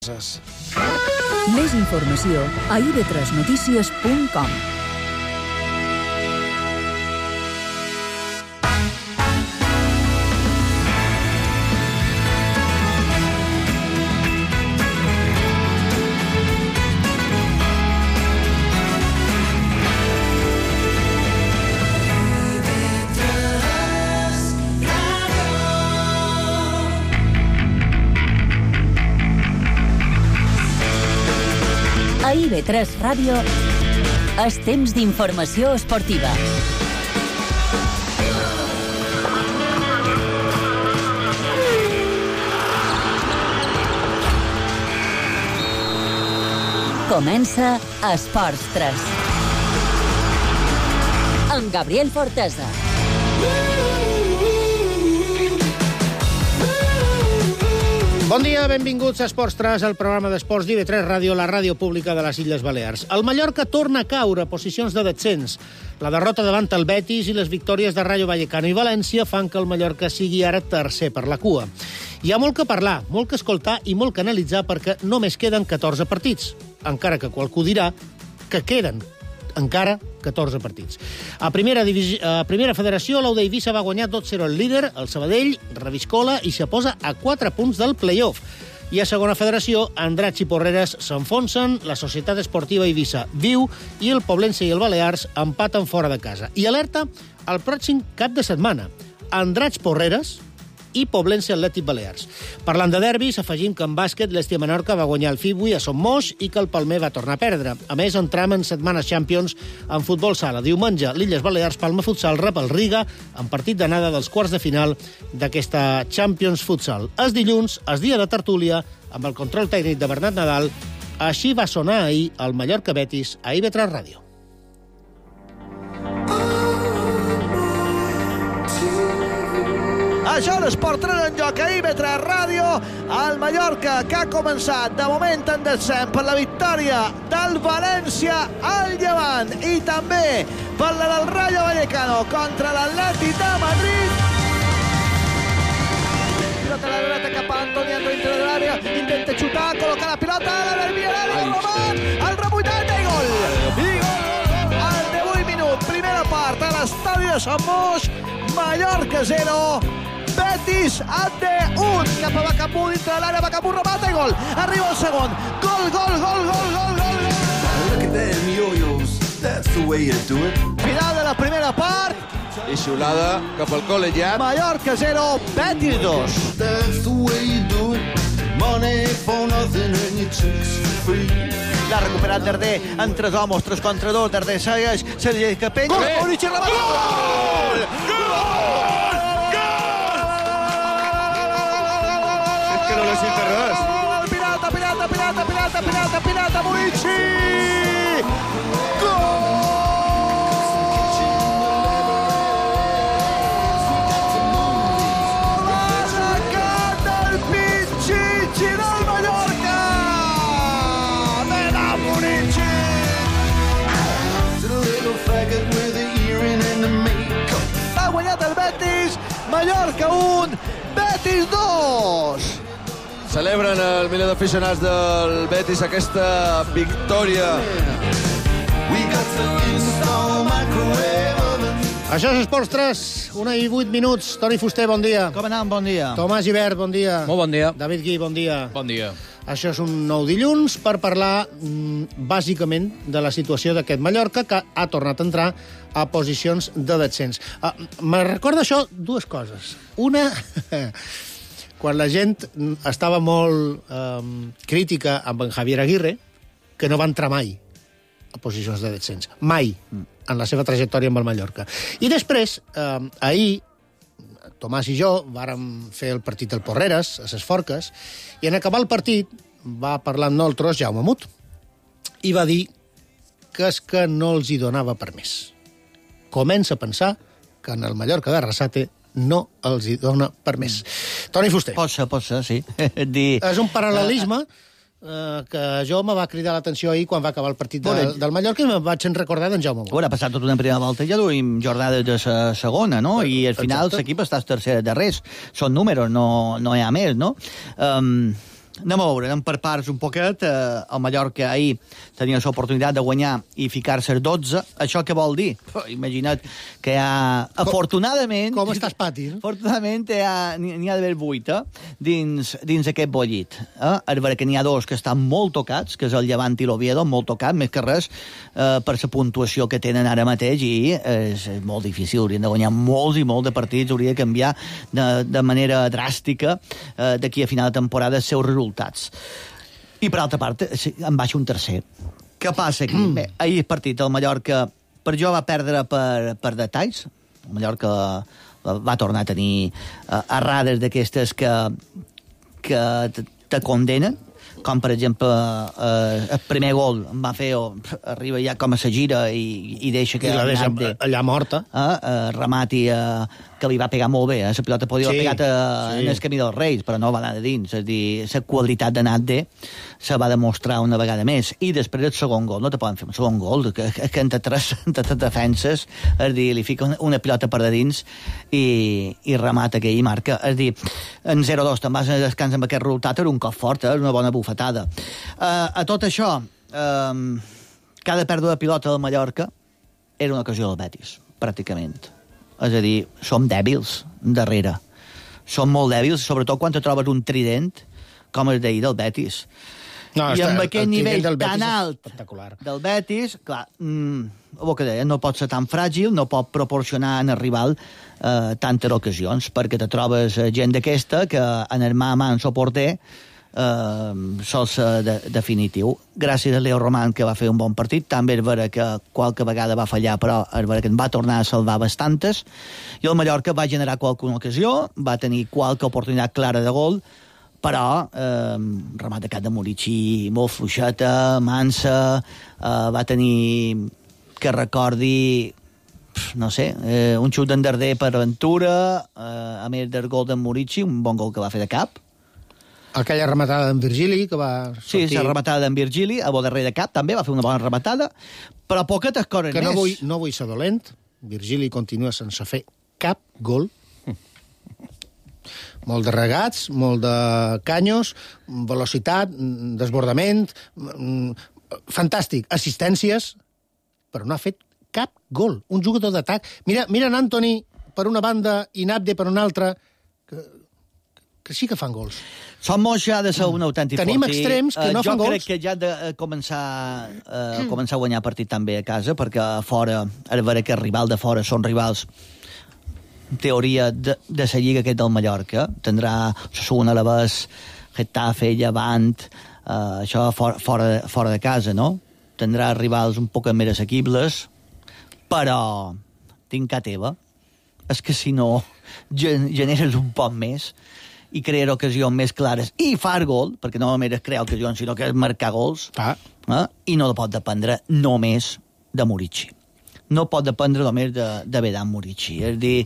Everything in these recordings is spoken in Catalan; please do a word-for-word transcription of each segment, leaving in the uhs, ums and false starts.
Més informació a i ve tres notícies punt com. A i ve tres Ràdio és temps d'informació esportiva. Comença Esports tres. Amb Gabriel Fortesa. Bon dia, benvinguts a Esports tres, el programa d'esports d'I ve tres Ràdio, la ràdio pública de les Illes Balears. El Mallorca torna a caure a posicions de descens. La derrota davant el Betis i les victòries de Rayo Vallecano i València fan que el Mallorca sigui ara tercer per la cua. Hi ha molt que parlar, molt que escoltar i molt que analitzar perquè només queden catorze partits, encara que qualcú dirà que queden encara catorze partits. A primera, divisi... a primera federació, l'U d'Eivissa va guanyar dos zero el líder, el Sabadell reviscola i se posa a quatre punts del play-off. I a segona federació, Andratx i Porreres s'enfonsen, la Societat Esportiva Eivissa viu i el Poblense i el Balears empaten fora de casa. I alerta al pròxim cap de setmana. Andratx Porreres i Poblense Atlètic Balears. Parlant de derbis, afegim que en bàsquet l'Estia Menorca va guanyar el Fibui a Son Moix i que el Palmer va tornar a perdre. A més, entram en setmana Champions en futbol sala. Diumenge, l'Illes Balears Palma Futsal rep el Riga en partit d'anada dels quarts de final d'aquesta Champions Futsal. És dilluns, és dia de tertúlia, amb el control tècnic de Bernat Nadal. Així va sonar ahir el Mallorca Betis a I ve tres Ràdio. Això és Esport tres en joc a I ve tres Ràdio. El Mallorca, que ha començat de moment en descens per la victòria del València al Llevant i també per la del Rayo Vallecano contra l'Atlètic de Madrid. Pilota a la dreta cap a Antoni André dintre de l'àrea, intenta xutar, col·locar la pilota, la del Villarreal, el Roman, el rebuitat i gol. I gol al divuit minut, primera part a l'estadi de Sant Moix. Mallorca zero, Betis a D un, cap a Bacapú dintre de l'àrea, Bacapú remata i gol. Arriba el segon, gol, gol, gol, gol, gol, gol. Look at them yo-yos, that's the way you do it. Final de la primera part. I xiulada cap al col·legiat. Mallorca zero, Betis dos. That's the way you do it. Money for nothing and your chicks for free. L'ha recuperat Darder en tres homes, tres contra dos. Darder segueix, Sergi Capell. Gol! Maurici remata. Gol! Gol! Que no necessita res. Pirata, pirata, pirata, pirata, pirata, pirata, Maurici! Gol! Ha sacat el Pichichi del Mallorca! Mena Maurici! It's a little faggot with a earring and a makeup. Ha guanyat el Betis, Mallorca un, Betis dos! Celebren el miler d'aficionats del Betis aquesta victòria. We got to install microwave oven. Això és Esports tres, una i vuit minuts. Toni Fuster, bon dia. Com anem? Bon dia. Tomàs Gibert, bon dia. Molt bon dia. David Gui, bon dia. Bon dia. Això és un nou dilluns per parlar, mm, bàsicament, de la situació d'aquest Mallorca, que ha tornat a entrar a posicions de descens. Uh, me recorda això dues coses. Una, quan la gent estava molt um, crítica amb en Javier Aguirre, que no va entrar mai a posicions de descens. Mai, en la seva trajectòria amb el Mallorca. I després, um, ahir, Tomàs i jo vàrem fer el partit del Porreres, a ses Forques, i en acabar el partit va parlar amb nosaltres Jaume Mut i va dir que és que no els hi donava per més. Comença a pensar que en el Mallorca d'Arrasate no els hi dona per més. Toni Fuster. Pot ser, pot ser, sí. Dir... És un paral·lelisme eh, que jo me va cridar l'atenció ahir quan va acabar el partit de, Bueno, del Mallorca i me vaig recordar d'en Jaume Mut. Bueno, ha passat tota una primera volta i ja duim jornades de la segona, no? I al final Exacte. l'equip està tercer de res. Són números, no, no hi ha més, no? Um, anem a veure, anem per parts un poquet. Eh, el Mallorca ahir tenia l'oportunitat de guanyar i ficar-se als dotze. Això què vol dir? Oh, imagina't que hi ha... Com, afortunadament... Com estàs, Pati? Afortunadament n'hi ha, ha d'haver vuit eh, dins, dins aquest bollit. Eh? És vera que n'hi ha dos que estan molt tocats, que és el Llevant i l'Oviedo, molt tocats, més que res, eh, per la puntuació que tenen ara mateix, i és, és molt difícil. Haurien de guanyar molts i molts de partits, hauria de canviar de, de manera dràstica eh, d'aquí a final de temporada els seus resultats. I per altra part, en baixa un tercer. Què passa aquí? Mm. Bé, ahir el partit del Mallorca, per jo va perdre per, per detalls. El Mallorca va tornar a tenir uh, errades d'aquestes que, que te, te condenen, com per exemple eh, el primer gol em va fer, oh, arriba ja com a sa gira i, i deixa que... I la deixa de, allà morta. Eh, eh, remati eh, que li va pegar molt bé, eh? La pilota podia haver sí, pegat a, sí. en el camí dels Reis, però no va anar de dins, és a dir, la qualitat de Nat de se va demostrar una vegada més. I després el segon gol, no te poden fer un segon gol, que, que entre tres, entre tres defenses, és a dir, li fica una, una pilota per de dins i, i remata que ell marca. És a dir, en zero dos te'n vas a descans amb aquest resultat, era un cop fort, eh? Una bona bufetada. Uh, a tot això, uh, cada pèrdua de pilota del Mallorca era una ocasió del Betis, pràcticament. És a dir, som dèbils darrere. Som molt dèbils, sobretot quan te trobes un trident com el d'ahir del Betis. No, I amb aquest nivell tan alt del Betis, clar, mm, el que deia, no pot ser tan fràgil, no pot proporcionar al rival eh, tantes ocasions, perquè te trobes gent d'aquesta que en el mà a mà en el porter eh, sol ser de, definitiu. Gràcies a Leo Roman, que va fer un bon partit, també és vera que qualque vegada va fallar, però és vera que en va tornar a salvar bastantes, i el Mallorca va generar qualque ocasió, va tenir qualque oportunitat clara de gol, però eh, remat de cap de Murici molt fluixeta, mansa, eh, va tenir, que recordi, no sé, eh, un xut d'endarder per Ventura, eh, a més del gol d'en Murici, un bon gol que va fer de cap. Aquella rematada d'en Virgili, que va sortir... Sí, la rematada d'en Virgili, a bo darrer de cap, també va fer una bona rematada, però poquetes coses que més. No vull, no vull ser dolent, Virgili continua sense fer cap gol. Molt de regats, molt de canyos, velocitat, desbordament, fantàstic, assistències, però no ha fet cap gol. Un jugador d'atac. Mira, mira en Antoni per una banda i Nabde per una altra, que, que sí que fan gols. Som molts ja de ser un autèntic fort. Tenim extrems que no uh, fan gols. Jo crec que ja de començar, uh, començar a guanyar partit també a casa, perquè a fora, a veure que el rival de fora són rivals en teoria de, de la lliga aquest del Mallorca. Tindrà Osasuna, Alavés, Getafe, Llevant, uh, això fora, fora, fora de casa, no? Tindrà rivals un poc més assequibles, però tinc a teva. És que si no generes un poc més i crear ocasions més clares i far gol, perquè no només és crear ocasions, sinó que és marcar gols, ah. eh? I no pot dependre només de Murici. No pot dependre només de, de Vedan Murici. És dir...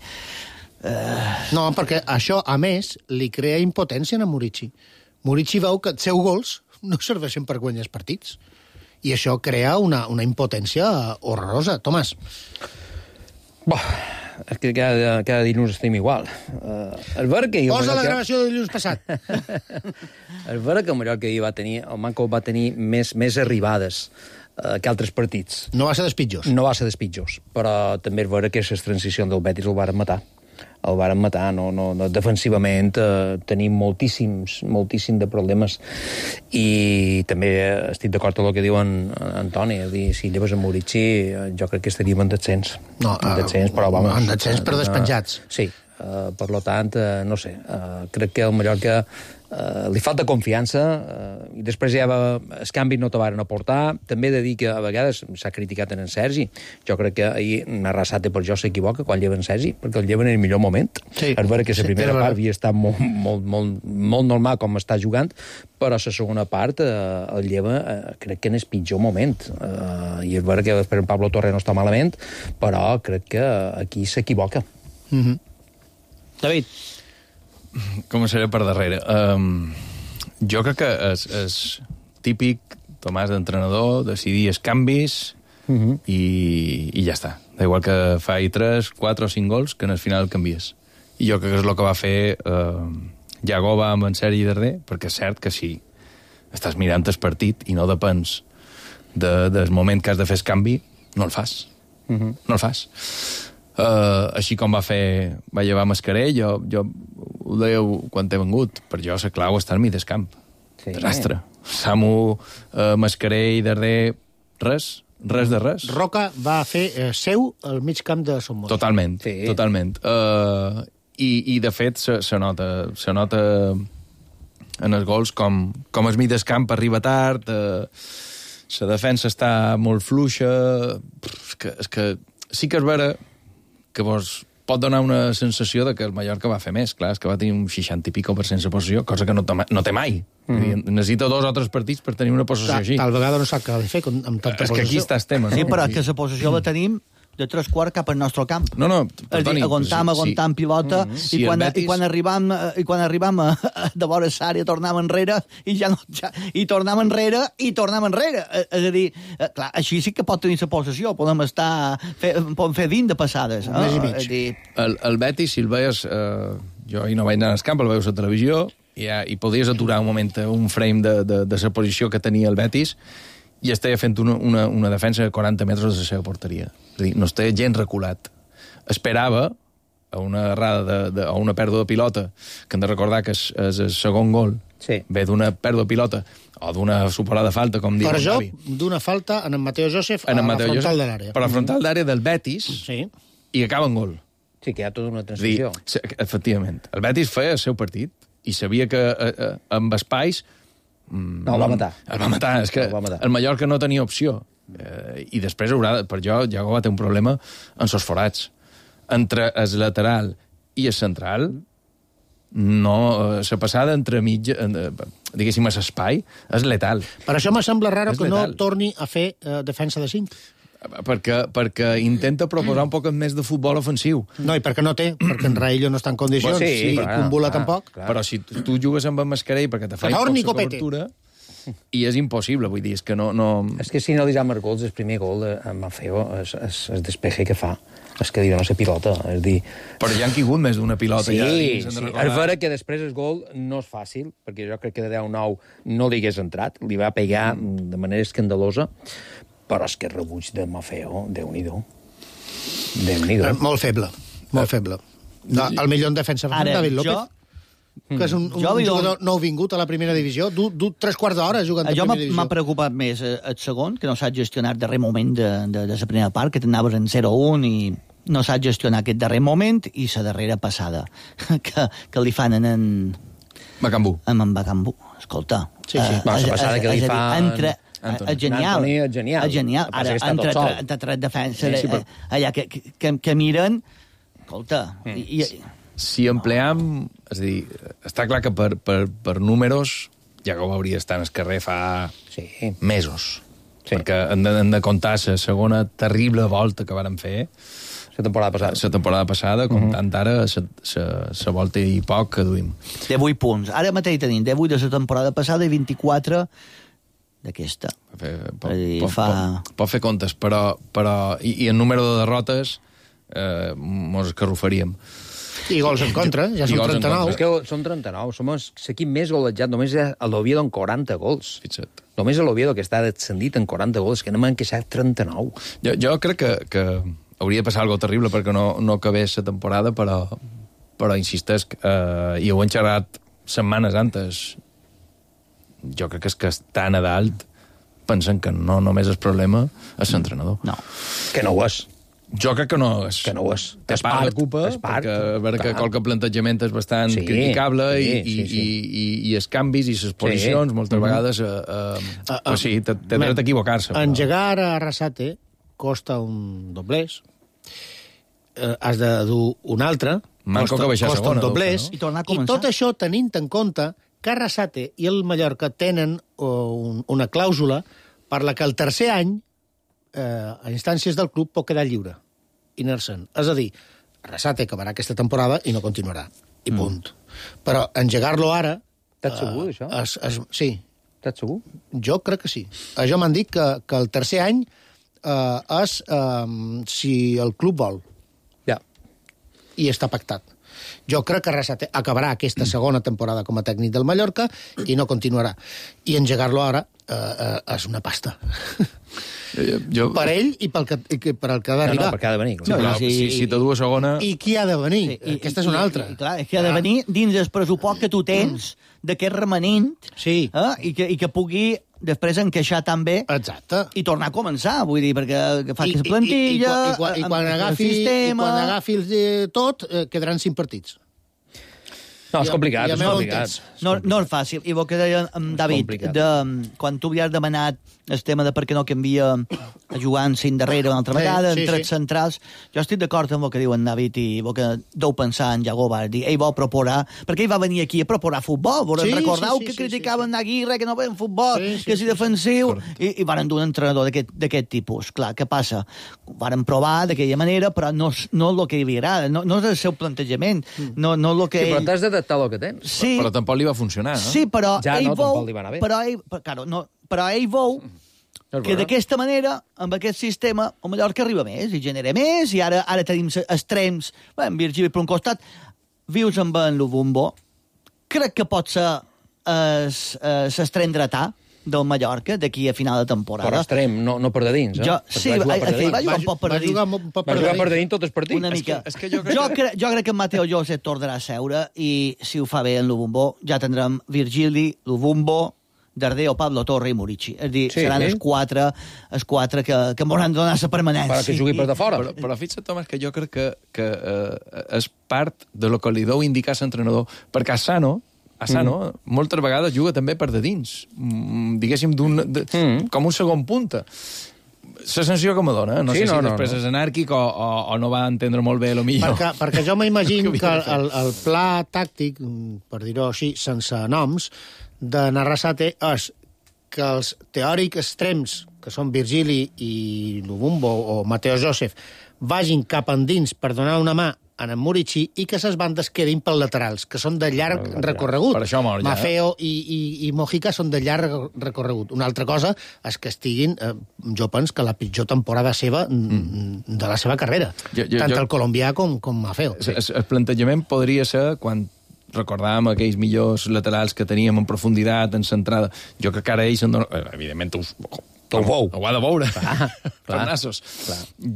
Eh... No, perquè això, a més, li crea impotència a Murici. Murici veu que els seus gols no serveixen per guanyar els partits. I això crea una, una impotència horrorosa. Tomàs. Bo, és que cada, cada dilluns estem igual. Uh, el ver que Posa la gravació de dilluns passat. El ver que el Mallorca va tenir, el Manco va tenir més, més arribades uh, que altres partits. No va ser dels pitjors. No va ser dels pitjors, però també és vera que les transicions del Betis el varen matar. El varen matar, no, no, no, defensivament eh, tenim moltíssims, moltíssim de problemes, i també estic d'acord amb el que diu en, en Antoni, és dir, si lleves a Murici, jo crec que estaríem en descens. No, en descens, però vamos. En descens, però despenjats. Uh, sí, uh, per lo tant, uh, no sé, uh, crec que el Mallorca Uh, li falta confiança, uh, i després ja va, els canvis no te varen aportar. També he de dir que a vegades s'ha criticat en en Sergi. Jo crec que ahir Arrasate per jo s'equivoca quan lleva en Sergi, perquè el lleva en el millor moment. Sí. És vera que la sí, primera part havia estat molt, molt, molt, molt normal com està jugant, però la segona part uh, el lleva, uh, crec que en el pitjor moment. Uh, I és vera que després en Pablo Torre no està malament, però crec que aquí s'equivoca. Mm-hmm. David. Començaré per darrere. Um, jo crec que és, és típic, Tomàs, d'entrenador, decidir els canvis uh-huh. i, i ja està. Igual que fa tres, quatre o cinc gols, que en el final canvies. I jo crec que és el que va fer uh, Jagova amb en Sergi darrer, perquè és cert que si estàs mirant el partit i no depens de, del moment que has de fer el canvi, no el fas. Uh-huh. No el fas. Uh, així com va fer va llevar Mascarell, jo, jo ho dèieu quan he vengut, per jo la clau està al mig del camp. Sí. Desastre. Samu, uh, Mascarell, darrer, res, res de res. Roca va fer eh, seu al mig camp de Son Moix. Totalment, sí. totalment. Uh, i, I, de fet, se, se nota, se nota en els gols com, com el mig del camp arriba tard, uh, la defensa està molt fluixa, és que, és que sí que és vera que vos pot donar una sensació de que el Mallorca va fer més. Clar, és que va tenir un seixanta i pico per cent de possessió, cosa que no, no té mai. Mm. Necessita dos o tres partits per tenir una possessió així. Tal vegada no sap què ha de fer amb tanta possessió. És que aquí està el tema, no? Sí, però que la possessió la tenim de tres quarts cap al nostre camp. No, no, perdoni. Aguantam, aguantam sí. pilota, mm -hmm. i, quan, Betis... i quan arribam, i quan arribam a, a, de vora l'àrea tornem enrere, i ja no... Ja, i tornem enrere, i tornem enrere. És a dir, clar, així sí que pot tenir la possessió, podem estar... Fe, podem fer vint de passades. Un mes i mig. Dir... El, el Betis, si el veies... Eh, jo ahir no vaig anar al camp, el veies a la televisió, i, i podies aturar un moment, un frame de, de, de la posició que tenia el Betis, i estava fent una, una, una defensa de quaranta metres de la seva porteria. És a dir, no estava gens reculat. Esperava a una errada de, de, a una pèrdua de pilota, que hem de recordar que és, és el segon gol, sí. ve d'una pèrdua de pilota o d'una superada falta, com diu per jo, d'una falta en en Mateo Joseph a la frontal Joseph, de l'àrea. Per la frontal d'àrea del Betis, sí. i acaba en gol. Sí, que hi ha tota una transició. Dir, efectivament. El Betis feia el seu partit i sabia que eh, eh, amb espais no, el va matar. El va matar. És que el, el Mallorca no tenia opció. Eh, I després haurà, per jo, Iago va tenir un problema en sos forats. Entre el lateral i el central, no, la passada entre mitja, diguéssim, a l'espai, és letal. Per això me sembla raro és que letal. No torni a fer eh, defensa de cinc. Perquè, perquè intenta proposar un poc més de futbol ofensiu. No, i perquè no té, perquè en Raillo no està en condicions, bueno, sí, i Kumbula tampoc. Clar. Però si tu jugues amb el Mascarell perquè te fa poca cobertura, i és impossible, vull dir, és que no... no... És que si no li ha gols, el primer gol amb Mafeo, el despeje que fa, és que diu, no sé, pilota, és dir... Però ja han caigut més d'una pilota. Sí, ja, sí. És vera que després el gol no és fàcil, perquè jo crec que de deu nou no li hagués entrat, li va pegar mm. de manera escandalosa, però és que el rebuig de Mafeo, Déu-n'hi-do. Déu-n'hi-do. Eh, molt feble, molt feble. No, el millor en defensa fa David López, que és un, un, un jugador nou vingut a la primera divisió, du, du tres quarts d'hora jugant a la primera divisió. M'ha preocupat més el segon, que no saps gestionar el darrer moment de, de, de la primera part, que t'anaves en zero un i no saps gestionar aquest darrer moment, i la darrera passada, que, que li fan en... en Bacambú. En en Bacambú, escolta. Sí, sí. La passada que li fa... Entre, és genial. Antoni, és genial. És genial. Ara, entre, entre tres defenses, sí, sí, però... allà que, que, que miren... Escolta... Mm. I, i... Si empleam... És a dir, està clar que per, per, per números ja que ho hauria estat al carrer fa sí. mesos. Sí. Perquè hem de, hem de comptar la segona terrible volta que vàrem fer la temporada passada. La temporada passada, comptant uh -huh. ara la volta i poc que duim. divuit punts. Ara mateix tenim divuit de la temporada passada i vint-i-quatre d'aquesta. Pot, pot, fa... pot, pot fer comptes, però... però i, i en número de derrotes eh, mos escarrufaríem. I gols en contra, ja són trenta-nou. És que són trenta-nou, som l'equip més golejat, només a l'Oviedo amb quaranta gols. Fixa't. Només a l'Oviedo, que està descendit en quaranta gols, que no m'han queixat trenta-nou. Jo, jo crec que, que hauria de passar alguna terrible perquè no, no acabés la temporada, però, però insistesc, eh, i ho he xerrat setmanes antes, jo crec que és que estan a dalt pensen que no només el problema és l'entrenador. No. Que no ho és. Jo crec que no és. Que no ho és. És part de culpa, perquè a veure que qualque plantejament és bastant sí, criticable sí, i, sí, sí. I, i, i els canvis i les posicions, sí. moltes vegades, eh, eh, uh, uh, pues sí, té dret a equivocar-se. Però... Engegar a Arrasate costa un doblers, eh, has de dur un altre, Manco costa, que baixar costa segona, un doblers, no? I, i tot això tenint en compte que Arrasate i el Mallorca tenen uh, un, una clàusula per la que el tercer any, eh, a instàncies del club, pot quedar lliure. Inercent. És a dir, Arrasate acabarà aquesta temporada i no continuarà. I punt. Mm. Però engegar-lo ara... T'ets segur, això? Es, es, sí. T'ets segur? Jo crec que sí. Jo m'han dit que, que el tercer any eh, és eh, si el club vol. Ja. I està pactat. Jo crec que Arrasate acabarà aquesta segona temporada com a tècnic del Mallorca i no continuarà. I engegar-lo ara eh, eh, és una pasta. Jo... Per ell i pel que, i per el que ha d'arribar. No, no, perquè ha de venir. Sí, però, i, si, si te du a segona... I qui ha de venir? Sí, i, Aquesta és una altra. I, i, clar, és que ha de venir dins el pressupost que tu tens d'aquest remanent Sí. eh? I, que, i que pugui després encaixar també Exacte. i tornar a començar, vull dir, perquè que fa I, aquesta plantilla, i, i, i, quan, i, quan amb el agafi, i sistema... quan agafi el, eh, tot, eh, quedaran cinc partits. No, és complicat, Ja- ja és m'heu complicat. entès. No, no és fàcil. I el que deia en David, complicat. de, quan tu havies demanat el tema de per què no canvia a jugar en cinc darrere una altra Sí, vegada, sí, en tres sí. centrals, jo estic d'acord amb el que diu en David i el que deu pensar en Jago Bardi. Ell vol proposar, perquè ell va venir aquí a proposar futbol. Volem Sí, recordar sí, sí, que sí, criticaven sí, sí. Aguirre, que no veien futbol, Sí, sí, que si sí, defensiu, Correcte. i, i van dur un entrenador d'aquest d'aquest tipus. Clar, què passa? Ho van provar d'aquella manera, però no, és- no és el que li agrada, no, no és el seu plantejament, no, no és el que Sí, però ell... t'has d'adaptar al que tens. Sí, Però tampoc li va funcionar, no? Sí, però Ja ell no, veu... tampoc li va anar bé. Però ell, però, claro, no, però ell veu És que vera. d'aquesta manera, amb aquest sistema, el Mallorca arriba més i genera més, i ara ara tenim se- extrems, bé, en Virgili per un costat, vius amb en Lubumbo, crec que pot ser l'extrem dretà del Mallorca d'aquí a final de temporada. Però extrem, no, no per de dins, eh? Jo, Perquè sí, va jugar va, per de va, dins. jugar un poc per va dins. jugar un poc Va per jugar per dins. de dins tots els partits. Una És mica. és que jo crec jo, que- cre jo crec que en Mateo Josep tornarà a seure i si ho fa bé en Lubumbo ja tindrem Virgili, Lubumbo, Darder o Pablo Torre i Murici. És a dir, Sí, seran sí. els quatre, els quatre que, que m'hauran de donar la permanència. Per que jugui per de fora. Però, però fixa't, Tomàs, que jo crec que, que eh, és part de lo que li deu indicar l'entrenador, perquè Asano, Asano mm. moltes vegades juga també per de dins, mm, diguéssim, d'un, de, mm. com un segon punta. La sensació que me dona, no Sí, sé no, si no, després no. és anàrquic o, o, o no va entendre molt bé, lo millor. Perquè, perquè jo m'imagino Que que havia de fer. el, el pla tàctic, per dir-ho així, sense noms, de Narrasate és que els teòrics extrems, que són Virgili i Lubumbo o Mateo Joseph, vagin cap endins per donar una mà a en Murici i que les bandes quedin pels laterals, que són de llarg recorregut. Per això mor ja, Mafeo i, i, i Mojica són de llarg recorregut. Una altra cosa és que estiguin, eh, jo penso que la pitjor temporada seva mm. de la seva carrera. Jo- jo- Tant jo- el colombià com, com Mafeo. El, el plantejament podria ser quan recordàvem aquells millors laterals que teníem en profunditat, en centrada. Jo crec que ara ells... Donen... Evidentment, us... Ho veu. Ho ha de veure. Clar, Per clar. nassos.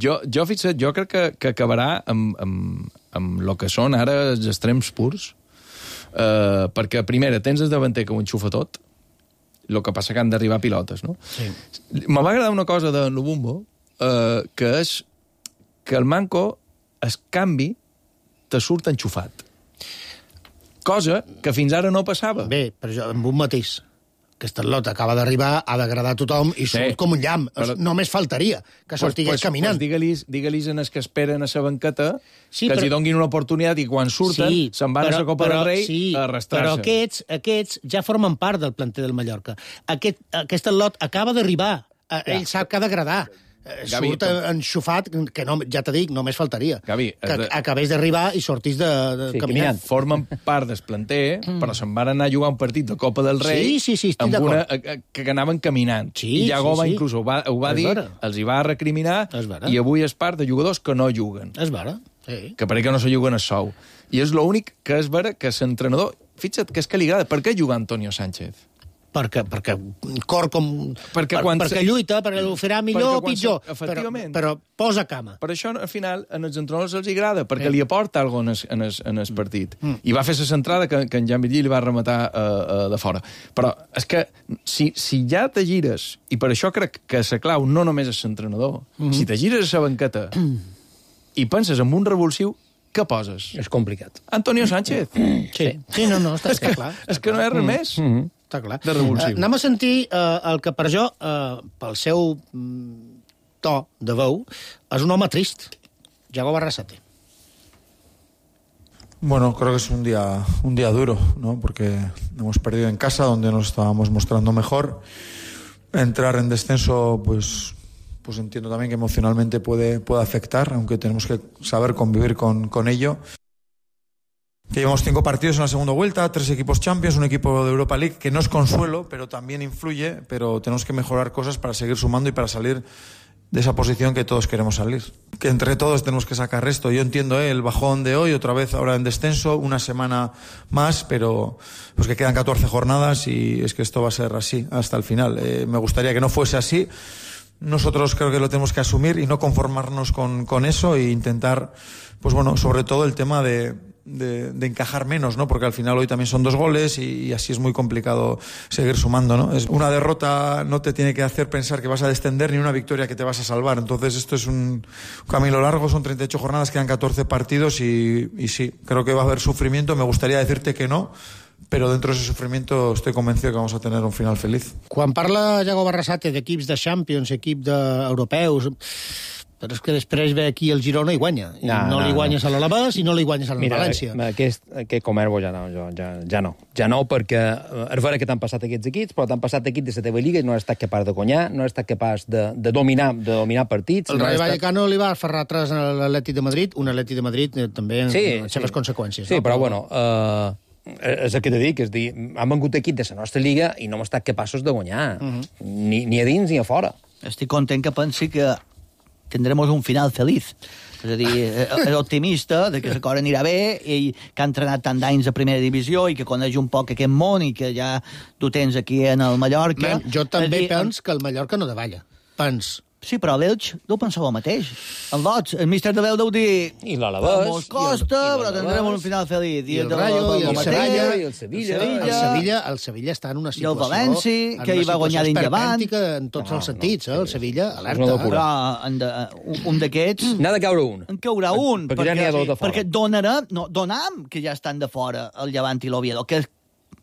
Jo, jo, fixa't, jo crec que, que acabarà amb, amb, amb el que són ara els extrems purs, eh, perquè, primera, tens el davanter que ho enxufa tot, el que passa que han d'arribar pilotes, no? Sí. Me va agradar una cosa de Lubumbo, eh, que és que el manco, es canvi, te surt enxufat. Cosa que fins ara no passava. Bé, però jo, amb un matís. Aquesta lota acaba d'arribar, ha d'agradar a tothom i surt Sí. com un llamp. Però- Només faltaria que sortigués pues, caminant. Pues digue-lis digue en els que esperen a la banqueta Sí, que els però- hi donguin una oportunitat i quan surten Sí, se'n van a la Copa del Rei sí, a arrastrar-se. Però aquests, aquests ja formen part del planter del Mallorca. Aquest, aquest lot acaba d'arribar. Eh, Ell sap que ha d'agradar. Eh, Gavi, Surt però- enxufat, que no, ja t'he dit, només faltaria. Gavi, que has de- acabés d'arribar i sortís de, de Sí, caminant. caminant. Formen part del planter, mm. però se'n van anar a jugar un partit de Copa del Rei Sí, sí, sí, estic amb una, d'acord. eh, que anaven caminant. Sí, I Iago sí, va sí. inclús ho va, ho va És dir, vera. els hi va recriminar, És vera. i avui és part de jugadors que no juguen. És vera, sí. Que per que no se juguen a sou. I és l'únic que és vera que l'entrenador... Fixa't que és que li agrada. Per què juga Antonio Sánchez? Perquè, perquè cor com... Perquè per, quan perquè se- lluita, perquè ho farà millor Perquè o quan pitjor. se- efectivament. Però, però posa cama. Per això, al final, en els entrenadors els agrada, perquè li aporta alguna cosa en el, en el partit. Mm. I va fer la centrada que, que en Jan Virgili va rematar uh, uh, de fora. Però és que si, si ja te gires, i per això crec que la clau no només és l'entrenador, mm -hmm. si te gires a la banqueta i penses en un revulsiu, què poses? És complicat. Antonio Sánchez. Sí, sí no, no, està, està clar. És que no hi ha res més. Mm -hmm. Està clar. De revulsiu. Uh, anem a sentir uh, el que per jo, uh, pel seu mm, to de veu, és un home trist. Jago Barrasate. Bueno, creo que es un día, un día duro, ¿no? Porque hemos perdido en casa, donde nos estábamos mostrando mejor. Entrar en descenso, pues, pues entiendo también que emocionalmente puede, puede afectar, aunque tenemos que saber convivir con, con ello. Que llevamos cinco partidos en la segunda vuelta, tres equipos Champions, un equipo de Europa League, que no es consuelo, pero también influye, pero tenemos que mejorar cosas para seguir sumando y para salir de esa posición que todos queremos salir. Que entre todos tenemos que sacar esto. Yo entiendo ¿eh? el bajón de hoy, otra vez ahora en descenso, una semana más, pero pues que quedan catorce jornadas y es que esto va a ser así hasta el final. Eh, me gustaría que no fuese así. Nosotros creo que lo tenemos que asumir y no conformarnos con, con eso e intentar, pues bueno, sobre todo el tema de... De, de encajar menos, ¿no? Porque al final hoy también son dos goles y, y así es muy complicado seguir sumando, ¿no? Es una derrota no te tiene que hacer pensar que vas a descender ni una victoria que te vas a salvar. Entonces esto es un camino largo, son treinta y ocho jornadas, quedan catorce partidos y, y sí, creo que va a haber sufrimiento. Me gustaría decirte que no, però dentro de ese sufrimiento estoy convencido que vamos a tener un final feliz. Quan parla Iago Barrasate d'equips de Champions, equip d'europeus, però és que després ve aquí el Girona i guanya. I no, no, no li guanyes no. a l'Alavés i no li guanyes a la Mira, València. Aquest, aquest Comerbo ja no, jo, ja, ja no. Ja no, perquè és vera que t'han passat aquests equips, però t'han passat equips de la teva lliga i no has estat capaç de guanyar, no has estat capaç de, de, dominar, de dominar partits. El no Rayo estat... Vallecano li va ferrar atrás a l'Atleti de Madrid, un Atleti de Madrid eh, també amb sí, les seves sí. conseqüències. Sí, no? però bueno... Uh... és el que t'he dit, que és dir, han vengut equip de la nostra lliga i no hem estat capaços de guanyar, uh -huh. ni, ni a dins ni a fora. Estic content que pensi que tindrem un final feliç. És a dir, és optimista de que la cosa anirà bé i que ha entrenat tant d'anys a primera divisió i que coneix un poc aquest món i que ja tu tens aquí en el Mallorca. Man, jo també dir, pens que el Mallorca no davalla. Pens. Sí, però l'Elx no pensava el mateix. En Lots, el míster de l'Elx deu dir... I l'Alavés. Mos costa, però tindrem un final feliç. I el Rayo, i el Sevilla, i el Sevilla. El Sevilla, el Sevilla està en una situació... I el València, que hi va guanyar d'indavant. En tots els sentits, eh? El Sevilla, alerta. Però un d'aquests... N'ha de caure un. En caurà un. Perquè ja n'hi ha dos de fora. Perquè donarem, no, donam que ja estan de fora el Llevant i l'Oviedo, que és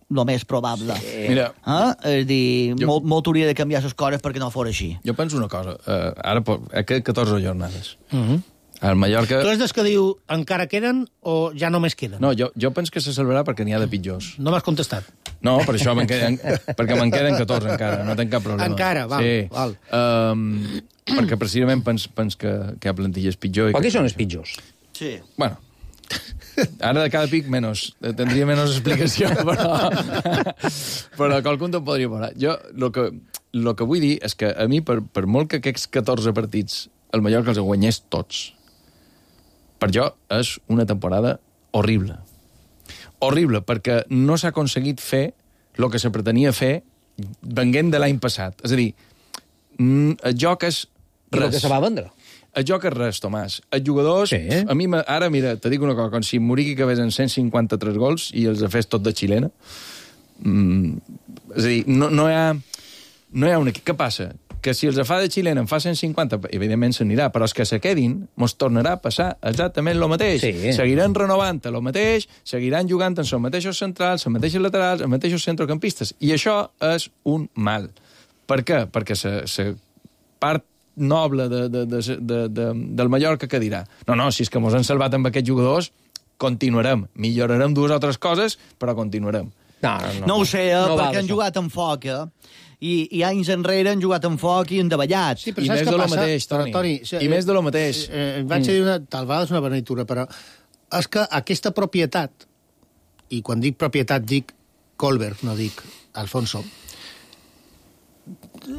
el més probable. Sí. Mira, eh? És dir, jo, molt, molt hauria de canviar les coses perquè no fos així. Jo penso una cosa. Uh, ara, aquest catorze jornades. Uh -huh. El Mallorca... Tu és des que diu encara queden o ja només queden? No, jo, jo penso que se salvarà perquè n'hi ha de pitjors. No m'has contestat. No, per això me'n queden, perquè me'n queden catorze encara, no tenc cap problema. Encara, val. Sí. val. Um, perquè precisament pens, pens que, que hi ha plantilles pitjor. Però qui són els pitjors? Sí. Bueno, ara de cada pic menos, tindria menys explicació, però, però qualcun te'n podria veure. Jo el que, lo que vull dir és que a mi, per, per molt que aquests catorze partits el Mallorca els guanyés tots, per jo és una temporada horrible. Horrible, perquè no s'ha aconseguit fer el que se pretenia fer venguent de l'any passat. És a dir, el joc és res. El que se va vendre. El joc és res, Tomàs. Els jugadors... Sí. A mi, ara, mira, te dic una cosa, com si Muriqui acabés en cent cinquanta-tres gols i els fes tot de xilena. Mm, és a dir, no, no hi ha... No hi ha un equip. Què passa? Que si els fa de xilena en fa cent cinquanta, evidentment s'anirà, però els que se quedin mos tornarà a passar exactament el mateix. Sí. Seguiran renovant el mateix, seguiran jugant amb els mateixos centrals, els mateixos laterals, els mateixos centrocampistes. I això és un mal. Per què? Perquè la part noble de, de, de, de, de, del Mallorca que dirà no, no, si és que mos han salvat amb aquests jugadors continuarem, millorarem dues o tres coses, però continuarem. No, no, no. no ho sé, eh, no perquè han jugat amb foc, eh? I, i anys enrere han jugat amb foc i endavallat. Sí, I més de lo mateix, Toni. Toni I eh, més de lo mateix. Eh, eh, vaig mm. dir una, tal vegada és una beneïtura, però és que aquesta propietat, i quan dic propietat dic Colbert, no dic Alfonso,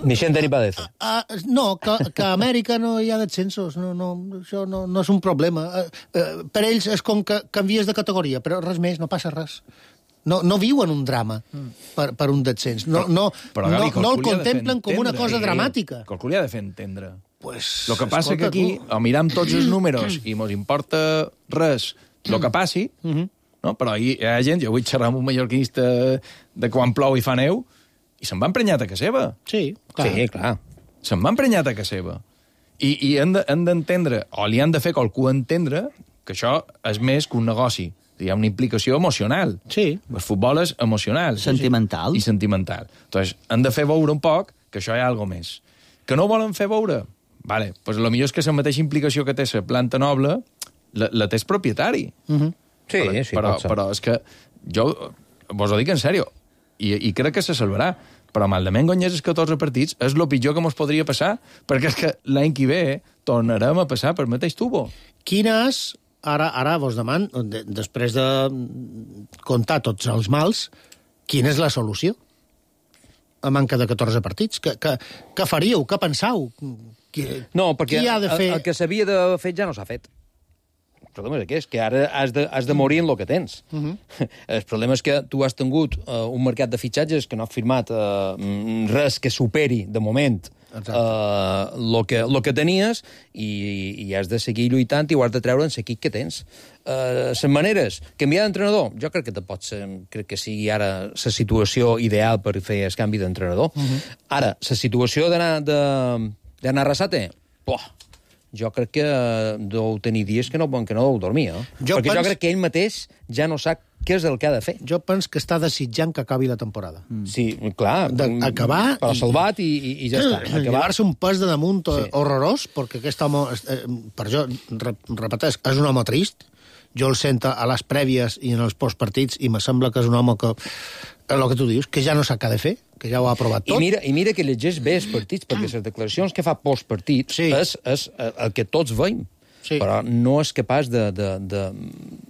ni Xente ni Padece. Uh, uh, no, que, que a Amèrica no hi ha descensos. No, no, això no, no és un problema. Uh, uh, per ells és com que canvies de categoria, però res més, no passa res. No, no viuen un drama per, per un descens. No, no, però, però, Gavi, no, no el contemplen com una cosa dramàtica. Qualcú li ha de fer entendre. Pues, el que passa és que aquí o miram tots els números i mos importa res el que passi, uh -huh. no? Però hi ha gent, jo vull xerrar amb un mallorquinista de quan plou i fa neu, i se'n va emprenyat a casa seva. Sí, clar. Sí, clar. Se'n va emprenyat a casa seva. I, i han d'entendre, de, o li han de fer qualcú entendre, que això és més que un negoci. Hi ha una implicació emocional. Sí. El futbol és emocional. Sentimental. I sentimental. Entonces, han de fer veure un poc que això hi ha alguna més. Que no volen fer veure? Vale, pues lo millor és que la mateixa implicació que té la planta noble la, la té el propietari. Uh -huh. Sí, però, sí, però, però és que jo vos ho dic en sèrio, i, i crec que se salvarà, però malament guanyés els catorze partits és el pitjor que mos podria passar, perquè és que l'any que ve tornarem a passar per mateix tubo. Quina és, ara, ara vos deman, de, després de comptar tots els mals, quina és la solució? A manca de catorze partits. Què, què, què faríeu? Què pensau? Qui, No, perquè qui ha de fer... el, el que s'havia d'haver fet ja no s'ha fet. El problema és que és que ara has de, has de morir en el que tens. Uh -huh. El problema és que tu has tingut uh, un mercat de fitxatges que no ha firmat uh, res que superi, de moment, el uh, que, lo que tenies i, i has de seguir lluitant i ho has de treure en l'equip que tens. Uh, les maneres, canviar d'entrenador, jo crec que te pot ser, crec que sigui ara la situació ideal per fer el canvi d'entrenador. Uh -huh. Ara, la situació d'anar d'anar a Arrasate, poh, jo crec que deu tenir dies que no, que no deu dormir, eh? Jo Perquè pens... jo crec que ell mateix ja no sap què és el que ha de fer. Jo penso que està desitjant que acabi la temporada. Mm. Sí, clar. Acabar... Però salvat i, i, i ja està. Llevar-se un pes de damunt sí. horrorós, perquè aquest home, eh, per jo, repeteix, és un home trist. Jo el sento a les prèvies i en els postpartits i me sembla que és un home que, el que tu dius, que ja no sap què ha de fer, que ja ho ha provat tot. I mira, i mira que llegeix bé els partits, perquè les declaracions que fa postpartits sí. és, és el que tots veiem. Sí. Però no és capaç de, de, de,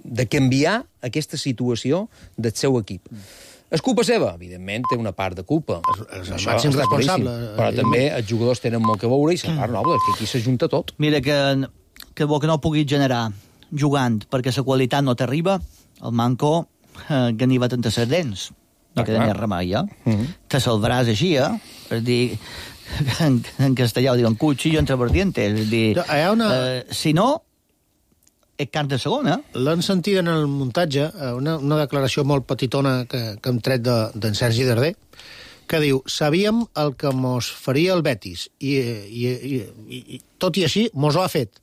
de canviar aquesta situació del seu equip. És culpa seva? Evidentment, té una part de culpa. És el màxim responsable. Però també els jugadors tenen molt que veure i la part noble, que aquí s'ajunta tot. Mira, que, que bo que no puguis generar jugant perquè la qualitat no t'arriba, el manco eh, ganiva tantes les dents. No queda més remei, eh? Uh -huh. Te salvaràs així, eh? És dir... En, en castellà ho diuen cuchillo entre vertientes. És dir, una... eh, si no, és carn de segona. L'han sentit en el muntatge, una, una declaració molt petitona que, que hem tret d'en de, Sergi Darder, que diu, sabíem el que mos faria el Betis, i, i, i, i, i tot i així mos ho ha fet.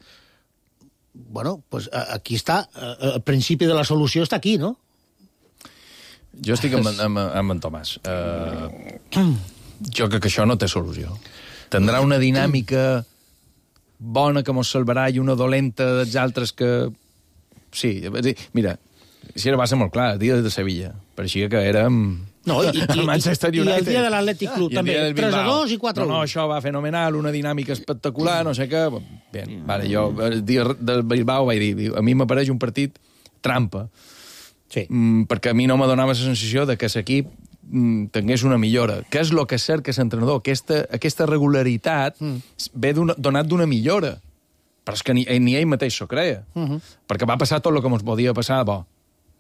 Bueno, pues aquí està, el principi de la solució està aquí, no? Jo estic amb, amb, amb en Tomàs. Uh, jo crec que això no té solució. Tindrà una dinàmica bona que mos salvarà i una dolenta dels altres que... Sí, mira, si ara va ser molt clar, el dia de Sevilla, per així que érem... No, i, i, el Manchester United. I el dia de l'Atlètic Club, també. tres a dos i quatre a u. No, no, això va fenomenal, una dinàmica espectacular, no sé què... Bé, vale, jo el dia del Bilbao vaig dir, a mi m'apareix un partit trampa. Sí. Mm, perquè a mi no me donava la sensació de que l'equip mm, tingués una millora. Què és el que cerca l'entrenador? Aquesta, aquesta regularitat mm. ve donat d'una millora. Però és que ni, ni ell mateix s'ho creia. Uh -huh. Perquè va passar tot el que ens podia passar, bo,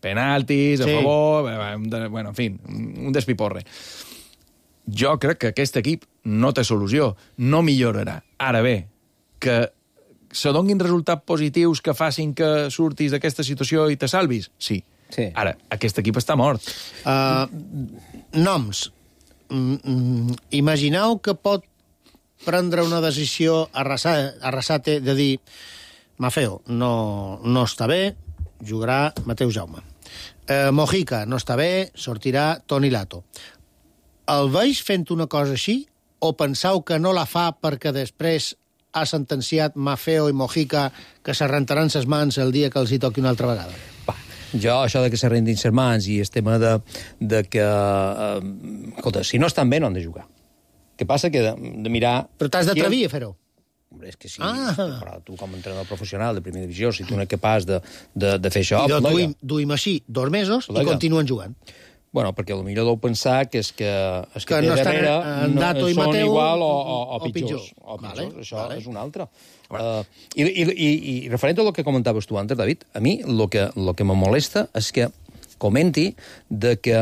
penaltis, a sí. favor, bueno, en fi, un despiporre. Jo crec que aquest equip no té solució, no millorarà. Ara bé, que se donguin resultats positius que facin que surtis d'aquesta situació i te salvis? Sí. Sí. Ara, aquest equip està mort. Uh, noms. Mm, mm, imagineu que pot prendre una decisió Arrasate de dir Mafeo, no, no està bé, jugarà Mateu Jaume. Uh, Mojica, no està bé, sortirà Toni Lato. El veig fent una cosa així o penseu que no la fa perquè després ha sentenciat Mafeo i Mojica que se rentaran ses mans el dia que els hi toqui una altra vegada? Va. Jo, això de que se rendin ses mans i el tema de, de que... Eh, escolta, si no estan bé, no han de jugar. Què passa? Que de, de mirar... Però t'has d'atrevir a fer-ho. Hombre, és que sí, ah. però tu com a entrenador professional de primera divisió, si tu no ets capaç de, de, de fer això... I duim, duim així dos mesos plega. I continuen jugant. Bueno, perquè potser deu pensar que és que, és que, que té no darrere en Dato i són Mateu, igual o, o, o, o pitjors. pitjor. O pitjors. Vale, això vale. és un altre. Uh, i, i, i, I referent a el que comentaves tu antes, David, a mi el que, lo que me molesta és que comenti de que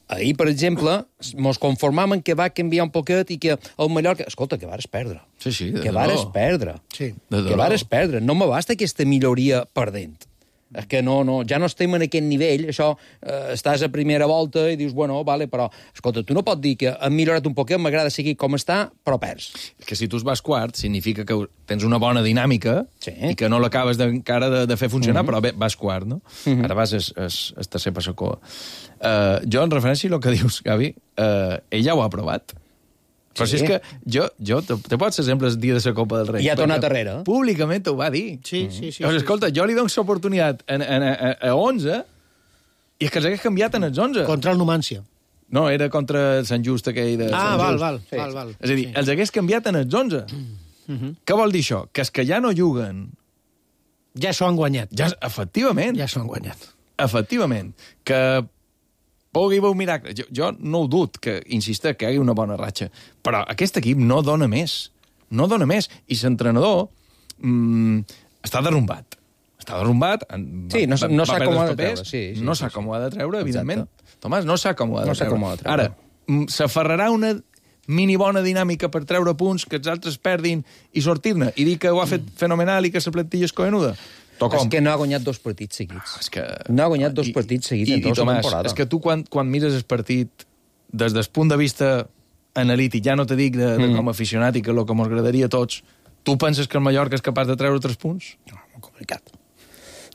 ahir, per exemple, mos conformàvem que va canviar un poquet i que el Mallorca... Escolta, que vares perdre. Sí, sí, de que vares perdre. Sí. Que vares perdre. No me basta aquesta milloria perdent. És que no, no, ja no estem en aquest nivell, això, eh, estàs a primera volta i dius, bueno, vale, però, escolta, tu no pots dir que hem millorat un poquet, m'agrada seguir com està, però perds. Que si tu es vas quart, significa que tens una bona dinàmica sí. i que no l'acabes encara de, de fer funcionar, uh -huh. però bé, vas quart, no? Uh -huh. Ara vas es, es, es tercer passacoa. Uh, jo, en referència al que dius, Gavi, uh, ell ja ho ha provat. Però sí. si és que jo, jo te, te pots exemple el dia de la Copa del Rei. I ha tornat darrere. Públicament ho va dir. Sí, sí, sí. Llavors, sí, escolta, sí. jo li dono l'oportunitat a, a, a, a onze i és que s'hagués canviat en els onze. Contra el Numància. No, era contra el Sant Just aquell de ah, Sant val, Just. val, sí. val, val. És a dir, sí. els hagués canviat en els onze. Mm. Uh-huh. Què vol dir això? Que els que ja no juguen... Ja s'ho han guanyat. Ja, efectivament. Ja s'ho han guanyat. Efectivament. Que... pugui haver un miracle. Jo, jo no ho dut, que insisteix que hi hagi una bona ratxa. Però aquest equip no dona més. no dona més. I l'entrenador mm, està derrumbat. Està derrumbat. Sí, no, no sap com ho ha de treure. Sí, sí, no sí, sap sí. com ho ha de treure, evidentment. Exacte. Tomàs, no sap com ho ha de no treure. Com ho ha de treure. Ara, s'aferrarà una mini bona dinàmica per treure punts, que els altres perdin i sortir-ne, i dir que ho ha fet fenomenal i que la plantilla és cohenuda. És que no ha guanyat dos partits seguits. És que... No ha guanyat dos I, partits seguits i, en tota la temporada. És que tu, quan, quan mires el partit des del punt de vista analític, ja no te dic de, de mm. com a aficionat i que el que ens agradaria a tots, tu penses que el Mallorca és capaç de treure tres punts? No, molt complicat.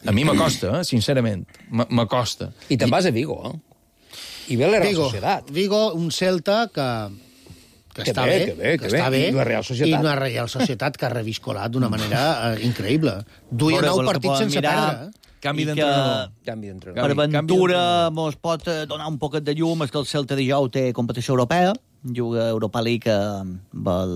A mi m'acosta, eh? Sincerament. M'acosta. I te'n vas a Vigo, eh? I ve la Real Vigo, Societat. Vigo, un Celta que, que, que està bé, bé, que, bé, que que està bé. bé. I la Real Societat. I una Real Societat que ha reviscolat d'una manera uh, increïble. Duia nou partits sense perdre. Eh? Canvi d'entrenador. Canvi d'entrenador. Per Ventura mos pot donar un poquet de llum, és que el Celta dijous té competició europea, juga Europa League amb el,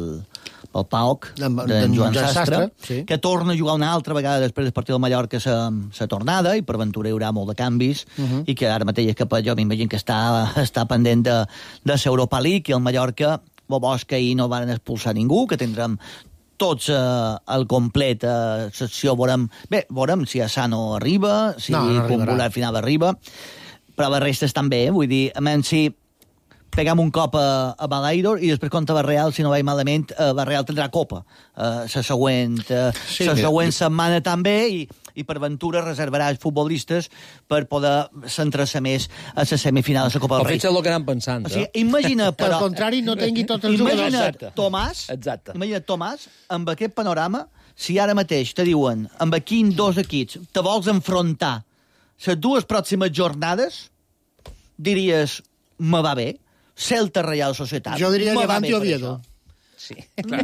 el P A O C d'en Joan, Joan Sastre, Sastre sí. que torna a jugar una altra vegada després del partit del Mallorca la tornada, i per Ventura hi haurà molt de canvis, uh -huh. i que ara mateix que jo m'imagino que està, està pendent de, de l'Europa League, i el Mallorca, bo bo, que ahir no van expulsar ningú, que tindrem tots eh, al complet a secció, veurem, bé, veurem si Asano arriba, si no, no Kumbula al final arriba, però la resta estan bé, vull dir, a menys si pegam un cop a, a Balaïdor i després contra Barreal, si no vaig malament, uh, Barreal tindrà copa la uh, següent, uh, sí, següent setmana també, i, i per Ventura reservarà els futbolistes per poder centrar-se més a la semifinal de la Copa del Rei. Rei. O el que anem pensant. O sigui, imagina, però... Al contrari, no tingui tots els imagina't jugadors. Tomàs, Exacte. imagina't Tomàs, amb aquest panorama, si ara mateix te diuen, amb quins dos equips te vols enfrontar les dues pròximes jornades, diries, me va bé, Celta Real Societat. Jo diria me Levante va o bé per Oviedo. Sí.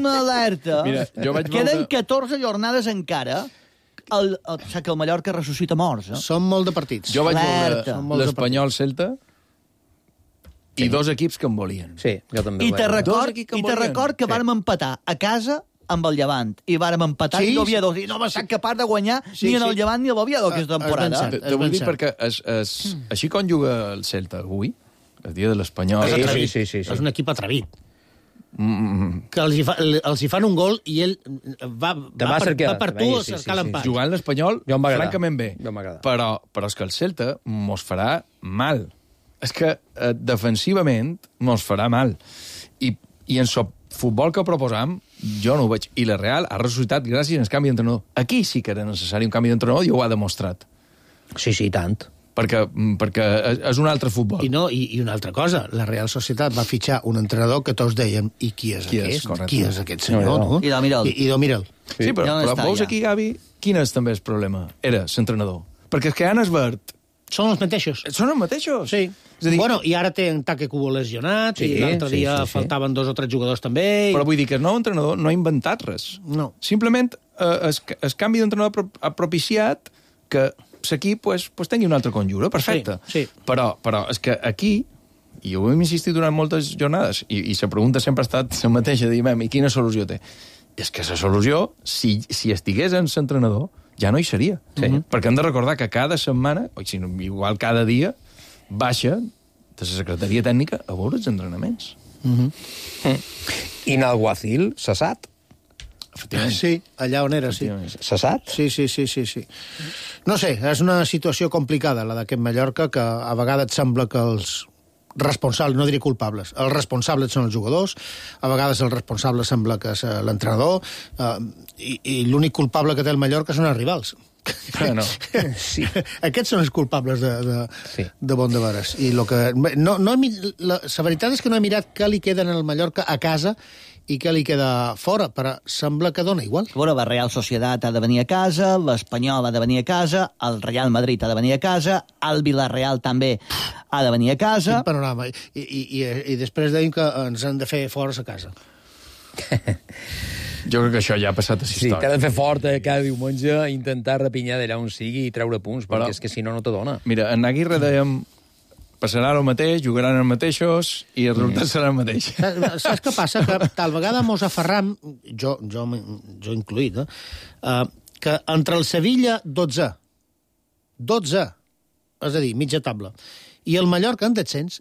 M'alerta. Mira, jo vaig Queden veure- catorze jornades encara. El, el, o sigui que el Mallorca ressuscita morts. Eh? Són molt de partits. Jo vaig Alerta. veure l'Espanyol-Celta i dos equips que em volien. Sí, jo també. I ho te vaig veure. record, Dos equips que i te volien. record que Sí. vàrem empatar a casa amb el Llevant, i vàrem empatar Sí, sí, i l'Oviedo, i no va ser capaç de guanyar Sí, ni en sí. el Llevant ni a l'Oviedo aquesta Ah, és ben temporada. cert. Te, te És vull ben dir cert. perquè es, es, així com juga el Celta avui, el dia de l'Espanyol... Sí, És sí, atrevit. sí, sí, sí. És un equip atrevit. Mm, Que els hi, fa, els hi fan un gol i ell va, Te va, va per, cercar- va per te tu veia, a sí, sí, cercar sí. l'empat. jugant l'Espanyol, Jo em va agradar. francament bé. Jo m'agrada. Però, però és que el Celta mos farà mal. És que eh, defensivament mos farà mal. I, i en el futbol que proposam, jo no ho veig. I la Real ha ressuscitat gràcies al canvi d'entrenador. Aquí sí que era necessari un canvi d'entrenador i ho ha demostrat. Sí, sí, tant. Perquè, perquè és un altre futbol. I, no, i, I una altra cosa, la Real Societat va fitxar un entrenador que tots dèiem, i qui és Qui és, aquest? correcte. Qui és aquest senyor? No, No, no. I do mira'l. I, i do mira'l. Sí, però, Ja on però està, veus ja. aquí, Gavi, quin és també el problema? Era l'entrenador. Perquè és que Anas Verd Són els mateixos. són els mateixos. Sí. És a dir, Bueno, i ara té en Taque Cubo lesionat, Sí, i l'altre sí, dia sí, sí. faltaven dos o tres jugadors també. I... però vull dir que el nou entrenador no ha inventat res. No. Simplement eh, el, el canvi d'entrenador pro- ha propiciat que l'equip pues, pues tingui una altra conjura, perfecte. Sí, sí. Però, però és que aquí, i ho hem insistit durant moltes jornades, i, i la pregunta sempre ha estat la mateixa, diem, i quina solució té? És que la solució, si, si estigués en l'entrenador, ja no hi seria. Sí. Perquè hem de recordar que cada setmana, o si no, igual cada dia, baixa de la secretaria tècnica a veure els entrenaments. I Nalguacil, cessat. Efectivament. Sí, allà on era, sí. Efectivament. Cessat? Sí, sí, sí, sí, sí. No sé, és una situació complicada, la d'aquest Mallorca, que a vegades et sembla que els responsables, no diré culpables, els responsables són els jugadors, a vegades el responsable sembla que és eh, l'entrenador, eh, i, i l'únic culpable que té el Mallorca són els rivals. Ah, no. Sí. Aquests són els culpables de, de, Sí. de bon de veres. I lo que, no, no he, mi- la, la veritat és que no he mirat què li queda en el Mallorca a casa i què li queda fora, però sembla que dona igual. A veure, la Real Societat ha de venir a casa, l'Espanyol ha de venir a casa, el Real Madrid ha de venir a casa, el Villarreal també ha de venir a casa. Quin panorama. I, i, i, i després deim que ens han de fer fora a casa. Jo crec que això ja ha passat a la Sí, història. t'ha de fer fort eh, cada diumenge, intentar repinyar d'allà on sigui i treure punts, Però- perquè és que si no, no te dona. Mira, en Aguirre dèiem passarà el mateix, jugaran el mateixos i el resultat serà el mateix. Saps, saps què passa? Que tal vegada mos aferram, jo, jo, jo incluït, eh? Uh, que entre el Sevilla, dotze. dotze. És a dir, mitja taula. I el Mallorca en descens,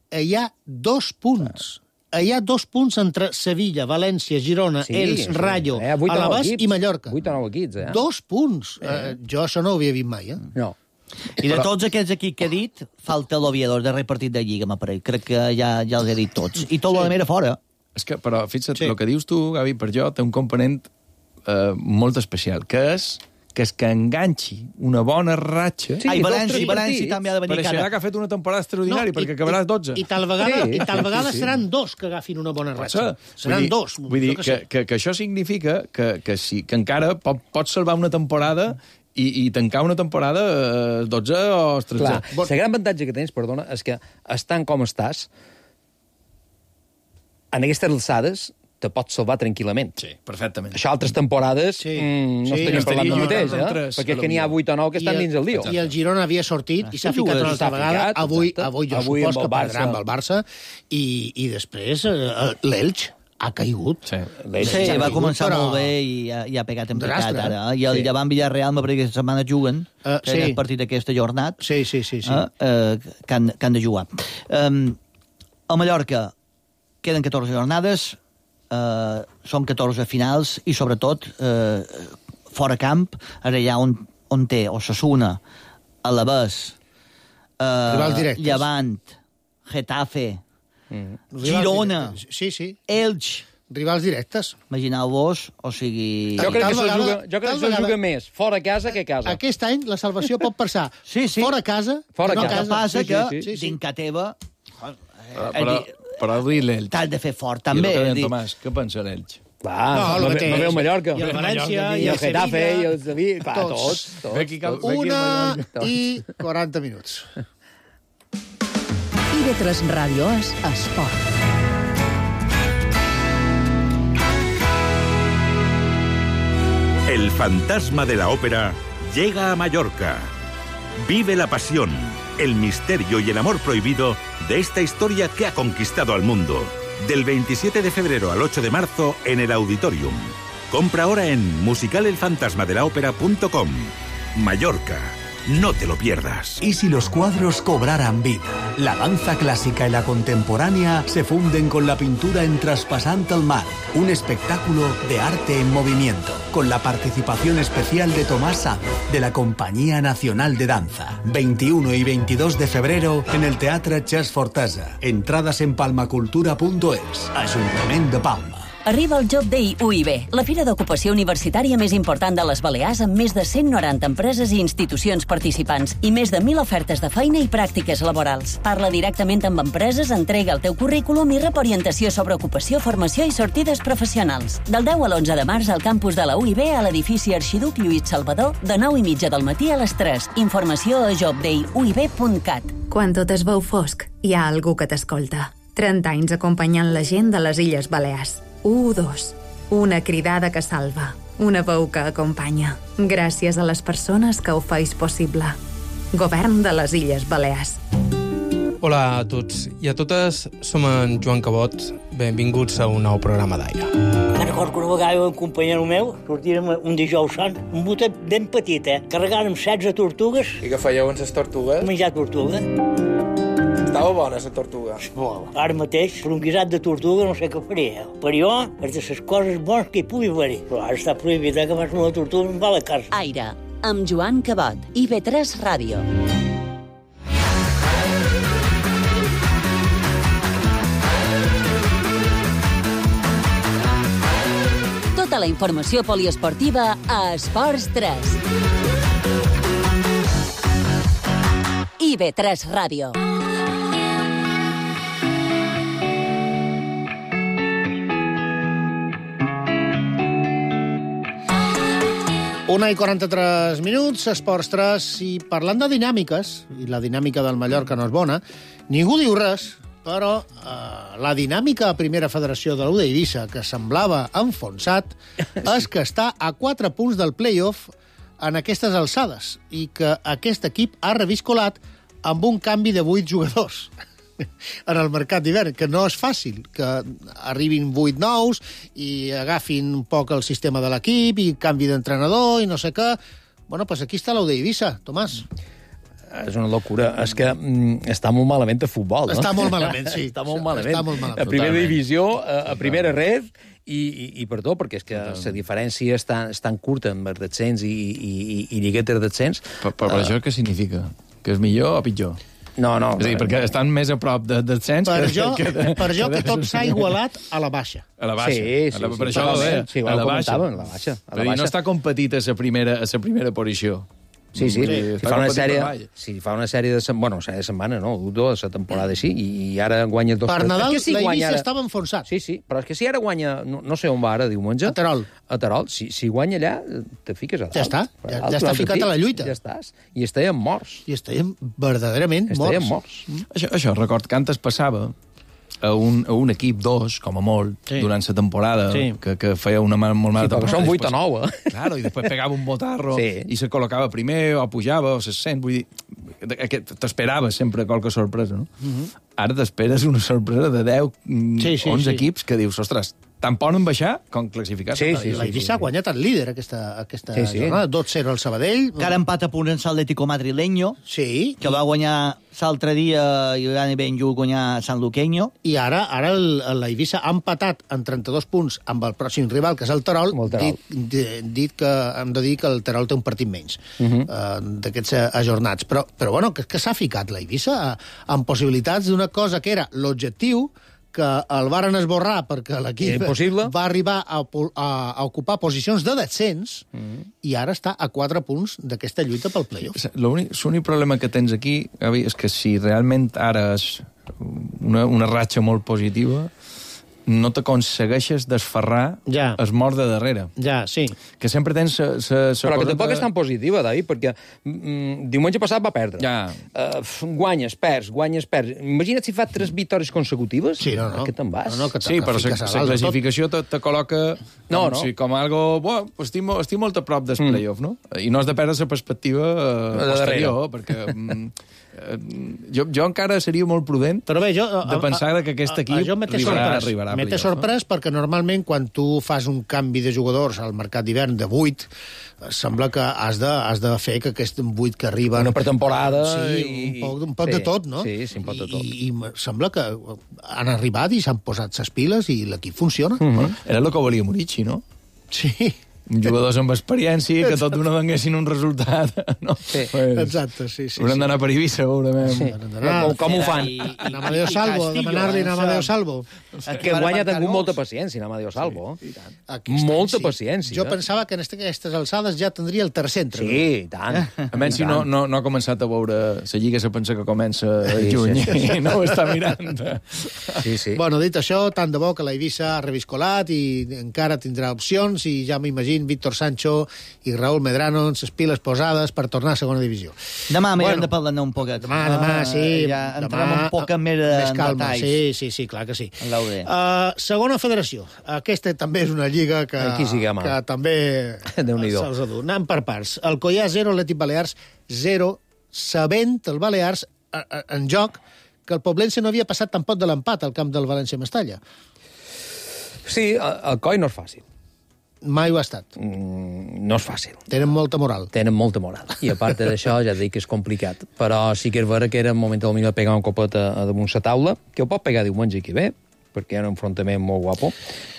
hi ha dos punts. hi ha dos punts entre Sevilla, València, Girona, Sí, Elx, sí. Rayo, Eh, vuit o nou Alavés equips. i Mallorca. vuit o nou equips, eh? Dos punts. Eh, jo això no ho havia vist mai, eh? No. I de tots aquests equips que he dit, falta l'Oviedo, el darrer partit de Lliga, m'aparell. Crec que ja, ja els he dit tots. I tot sí. l'Almera fora. És que, però, fixa't, Sí. el que dius tu, Gavi, per jo, té un component eh, molt especial, que és que és que enganxi una bona ratxa... Sí, Ai, dos, València, tres València partits. també ha de venir Pareixerà cara. que ha fet una temporada extraordinària, No, i- perquè acabaràs dotze. I, i tal vegada, Sí, i tal sí, vegada sí, sí. seran dos que agafin una bona Pot ratxa. ser. Seran vull dir, dos. Vull dir jo que, sé. que, que això significa que, que, sí, que encara pot, pots salvar una temporada i, i tancar una temporada eh, dotze o tretze. Clar, el gran avantatge que tens, perdona, és que estant com estàs, en aquestes alçades, te pots salvar tranquil·lament. Sí, perfectament. Això altres temporades Sí. mm, no Sí, estaríem parlant del estaria mateix, en eh? tres, Perquè és que n'hi ha potser. vuit o nou que estan I el- dins el lío. I el Girona havia sortit i s'ha sí, ficat ho una és, altra s'ha vegada. ficat, Avui, exacte. avui jo Avui supos amb que el perdrà Barça. amb el Barça i, i després eh, l'Elx ha caigut. Sí. Sí, Ja va caigut, començar però- molt bé i ha, i ha pegat en picat Rastre. ara. I el Sí. Llevant Villarreal, m'aparell que aquesta setmana juguen, Eh, que sí. és el partit d'aquesta jornada, Sí, sí, sí. sí. eh, eh, que, han, que han de jugar. Um, a Mallorca queden catorze jornades, eh, són catorze finals i, sobretot, eh, fora camp, ara allà on, on té Osasuna, Alavés, Rivals eh, directes. Llevant, Getafe, Rivals Girona, directes. Sí, sí. Elx. Rivals directes. Imagineu-vos, o sigui... Jo crec Tal que se vegada- juga, jo crec tal que se vegada- juga més fora casa que a casa. Aquest any la salvació pot passar Sí, sí. fora casa Fora que no a casa. El que passa Sí, que, sí, sí, sí. dins casa teva, Però, però, però avui l'Elx. t'has de fer fort, I el també. que és deia en dir, Tomàs, què pensa l'Elx? Va, No, no, el no, mateix. no veu Mallorca. I el València, I i el el Getafe, Sevilla, i el Sevilla, clar, tots. tots, tots. Ve aquí cal- ve aquí Una Tots. i quaranta minuts. I ve tres Ràdio és esport. El fantasma de la ópera llega a Mallorca. Vive la pasión, el misterio y el amor prohibido de esta historia que ha conquistado al mundo. Del veintisiete de febrero al ocho de marzo en el Auditorium. Compra ahora en musicalelfantasmadelaopera punto com. Mallorca. No te lo pierdas. ¿Y si los cuadros cobraran vida? La danza clásica y la contemporánea se funden con la pintura en Traspasant el Mar, un espectáculo de arte en movimiento, con la participación especial de Tomás Sanz, de la Compañía Nacional de Danza. veintiuno y veintidós de febrero en el Teatre Chas Fortesa. Entradas en palmacultura punto es. Ayuntamiento de Palma. Arriba el Job Day U I B, la fira d'ocupació universitària més important de les Balears amb més de cent noranta empreses i institucions participants i més de mil ofertes de feina i pràctiques laborals. Parla directament amb empreses, entrega el teu currículum i rep orientació sobre ocupació, formació i sortides professionals. Del deu a l'onze de març al campus de la U I B a l'edifici Arxiduc Lluís Salvador de nou i mitja del matí a les tres. Informació a job day u i b punt cat. Quan tot es veu fosc, hi ha algú que t'escolta. trenta anys acompanyant la gent de les Illes Balears. u dos. Una cridada que salva. Una veu que acompanya. Gràcies a les persones que ho feis possible. Govern de les Illes Balears. Hola a tots i a totes, som en Joan Cabot. Benvinguts a un nou programa d'aire. Me'n recordo que una vegada un companyero meu sortírem un dijous sant, un botet ben petit, eh? Carregàrem setze tortugues. I què fèieu amb les tortugues? Menjar tortuga. Estava bona, la tortuga. Molt. Ara mateix, per un guisat de tortuga no sé què faria. Per jo, és de les coses bones que hi pugui haver-hi. Però ara està prohibit, eh, que fas una tortuga em va a la casa. Aire, amb Joan Cabot. I ve tres Ràdio. Tota la informació poliesportiva a Esports tres. I ve tres Ràdio. Una i quaranta-tres minuts, Esports tres, i parlant de dinàmiques, i la dinàmica del Mallorca no és bona, ningú diu res, però eh, la dinàmica a Primera Federació de l'U d'Eivissa, que semblava enfonsat, és que està a quatre punts del play-off en aquestes alçades, i que aquest equip ha reviscolat amb un canvi de vuit jugadors en el mercat d'hivern, que no és fàcil, que arribin vuit nous i agafin un poc el sistema de l'equip i canvi d'entrenador i no sé què. Bueno, pues aquí està l'U d'Eivissa, Tomàs. És una locura. És que mm, està molt malament el futbol, no? Està molt malament, sí. Està molt malament. Està molt malament. A primera Totalment. divisió, a, a primera red, i, i, i per tot, perquè és que la diferència és tan, és tan curta amb els descens i, i, i, i lliguetes descens. Però, però uh, això què significa? Que és millor o pitjor? No, no. És a dir, perquè estan més a prop de descens Per que... jo, que, que, per jo que tot s'ha igualat a la baixa. A la baixa. Sí, sí, a la, sí, per això ho deia. sí, a la baixa. a la baixa. A la Però baixa. no està competit a la primera, a la primera posició. Sí, sí, Sí, si està fa una competit sèrie, per avall. si fa una sèrie de, sem- bueno, sèrie de setmana, no, dos, la temporada així, i, i ara guanya dos... Per Nadal, És que si la guanya Eivissa ara- estava enfonsat. Sí, sí, però és que si ara guanya, no, no sé on va ara, diumenge... A Terol. A Terol, si, si guanya allà, te fiques a dalt. Ja està, A ja- dalt, ja està l'altre ficat pit, a la lluita. Ja estàs, i estàvem morts. I estàvem verdaderament Estàvem morts. morts. Això, això, record que antes passava a un, a un equip, dos, com a molt, Sí. durant la temporada, Sí. que, que feia una mal, molt mala Sí, perquè temporada. són vuit Després- o nou, eh? Claro, i després pegava un botarro Sí. i se col·locava primer, o pujava, o se sent, vull dir, que t'esperaves sempre qualque sorpresa, no? Ara t'esperes una sorpresa de deu, mm, Sí, sí, onze sí. equips que dius, ostres, tant poden baixar com classificar-se. Sí, a sí, La Eivissa ha guanyat el líder aquesta, aquesta Sí, sí. jornada. dos zero al Sabadell. Encara empat a punt en l'Atlético madrileño, Sí. que va guanyar l'altre dia i l'any ben lluny guanyar San Luqueño. I ara ara el, la Eivissa ha empatat en trenta-dos punts amb el pròxim rival, que és el Terol, Amb el Terol. dit, di- dit que hem de dir que el Terol té un partit menys uh -huh. uh, d'aquests eh, ajornats. Però, però bueno, que, que s'ha ficat la Eivissa eh, amb possibilitats d'una cosa que era l'objectiu, que el varen esborrar perquè l'equip Era impossible. va arribar a, po- a, a ocupar posicions de descens uh -huh. i ara està a quatre punts d'aquesta lluita pel playoff. L'únic l'únic problema que tens aquí, Gavi, és que si realment ara és una, una ratxa molt positiva, no t'aconsegueixes desferrar Ja. es mort de darrere. Ja, sí. Que sempre tens sa, sa, sa Però que coseta- tampoc és tan positiva, David, perquè mm, diumenge passat va perdre. Ja. Uh, guanyes, perds, guanyes, perds. Imagina't si fa tres victòries consecutives. Sí, no, no. Que te'n vas. No, no, que Sí, però fiques a la dalt de tot. classificació te, te col·loca No, com, no. si, com algo... Bueno, estic, mo- estic molt a prop del mm. playoff, no? I no has de perdre la perspectiva eh, De posterior, perquè mm, eh, jo, jo encara seria molt prudent Però bé, jo, de pensar que aquest equip jo m'he arribarà, sorprès, arribarà a m'he playoff, sorprès perquè normalment quan tu fas un canvi de jugadors al mercat d'hivern de vuit, sembla que has de, has de fer que aquest vuit que arriben... Una pretemporada Sí, i- un poc, un poc sí, de tot, no? sí, sí, un poc de tot. I, i me sembla que han arribat i s'han posat ses piles i l'equip funciona. no? Mm -hmm. Era el que volia Murici, no? Sí. Jugadors amb experiència, que tot d'una donguessin un resultat. No? Sí. Pues, Exacte, sí, sí. haurem sí. d'anar per Eivissa, segurament. Sí. Com, com ho fan? I, i, En Amadeo Salvo, Castillo, demanar-li en eh, Amadeo això. Salvo. Que guanya ha tingut molta paciència, en Amadeo Salvo. Sí, Aquest Molta any, paciència. Jo pensava que en aquestes alçades ja tindria el tercer entrenador. Sí, i tant. A menys si no, no, no ha començat a veure la lliga, se pensa que comença a Sí, juny sí, sí. i no ho està mirant. Sí, sí. Bueno, dit això, tant de bo que la Eivissa ha reviscolat i encara tindrà opcions i ja m'imagino Víctor Sancho i Raúl Medrano amb les piles posades per tornar a segona divisió. Demà m'hi Bueno. hem de parlar un poquet. Demà, demà, sí. Ja entrem demà, un poc més, més en calma. detalls. Sí, sí, sí, clar que sí. En l'U D. Uh, segona federació. Aquesta també és una lliga que, Aquí sí que ama. que també Déu-n'hi-do. se'ls adú. Anem per parts. El Coià zero, Atlètic Balears zero, sabent el Balears a, a, en joc que el Poblense no havia passat tampoc de l'empat al camp del València-Mestalla. Sí, el, el coi no és fàcil. Mai ho ha estat. Mm, no és fàcil. Tenen molta moral. Tenen molta moral. I a part d'això, ja et dic que és complicat. Però sí que és vera que era un moment del millor de pegar un copet a, a damunt la taula, que ho pot pegar diumenge que ve, perquè hi ha un enfrontament molt guapo,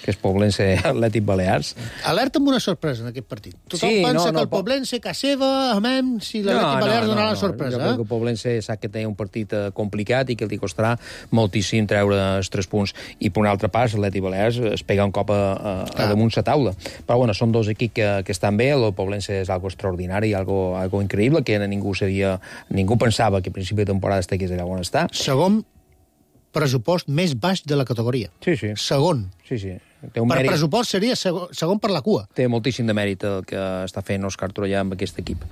que és Poblense Atlètic Balears. Alerta amb una sorpresa en aquest partit. Tothom Sí, pensa no, que no, el po- Poblense, casa seva, amem, si l'Atlètic Balears donarà la sorpresa. Jo crec que Eh? el Poblense sap que té un partit eh, complicat i que li costarà moltíssim treure els tres punts. I per un altre pas, l'Atlètic Balears es pega un cop a, a, a damunt la taula. Però bueno, són dos equips que, que estan bé. El Poblense és algo extraordinari, algo, algo increïble, que ningú sabia, ningú pensava que a principi de temporada estigués allà on està. Segon pressupost més baix de la categoria. Sí, sí. Segon. Sí, sí. Té un Per mèrit, pressupost seria segon, segon per la cua. té moltíssim de mèrit el que està fent Òscar Trollà amb aquest equip.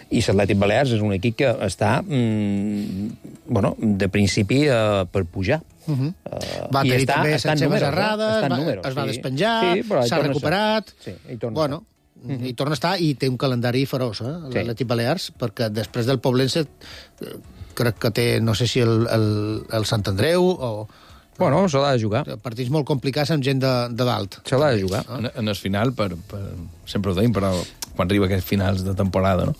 I l'Atlètic Balears és un equip que està, mm, bueno, de principi eh, per pujar. Uh -huh. Uh, Va i tenir està, també està en les seves números, errades, eh? Està en va, números, es va sí. despenjar, Sí, però hi s'ha torna a recuperat. estar. Sí, hi torna a bueno, estar. Uh -huh. i torna a estar i té un calendari feroç, eh, Sí. l'Atlètic Balears, perquè després del Poblense eh, crec que té, no sé si el, el, el Sant Andreu o... Bueno, se l'ha de jugar. Partits molt complicats amb gent de, de dalt. Se l'ha de jugar. En, en el final, per, per, sempre ho deim, però quan arriba aquests finals de temporada, no?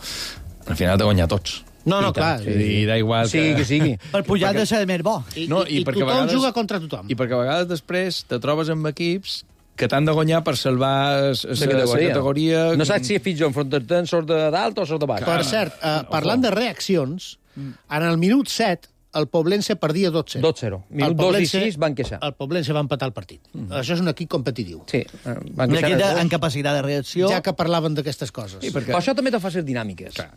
Al final t'ha guanyat tots. No, no, I clar. tant. I da igual sigui que sigui. Per pujar de ser més bo. I, No, i, i i perquè a tothom vegades- juga contra tothom. I perquè a vegades després te trobes amb equips que t'han de guanyar per salvar la categoria. categoria. No saps si fins a enfrontar-te en sort de dalt o sort de baix. Per cert, eh, parlant de reaccions, en el minut set el Poblense perdia dos zero. dos zero. Minut dos i sis van queixar. El Poblense va empatar el partit. Mm. Això és un equip competitiu. Sí, van Un queixar. equip de- en capacitat de reacció. Ja que parlaven d'aquestes coses. Sí, perquè... Però això també te fa ser dinàmiques. Clar.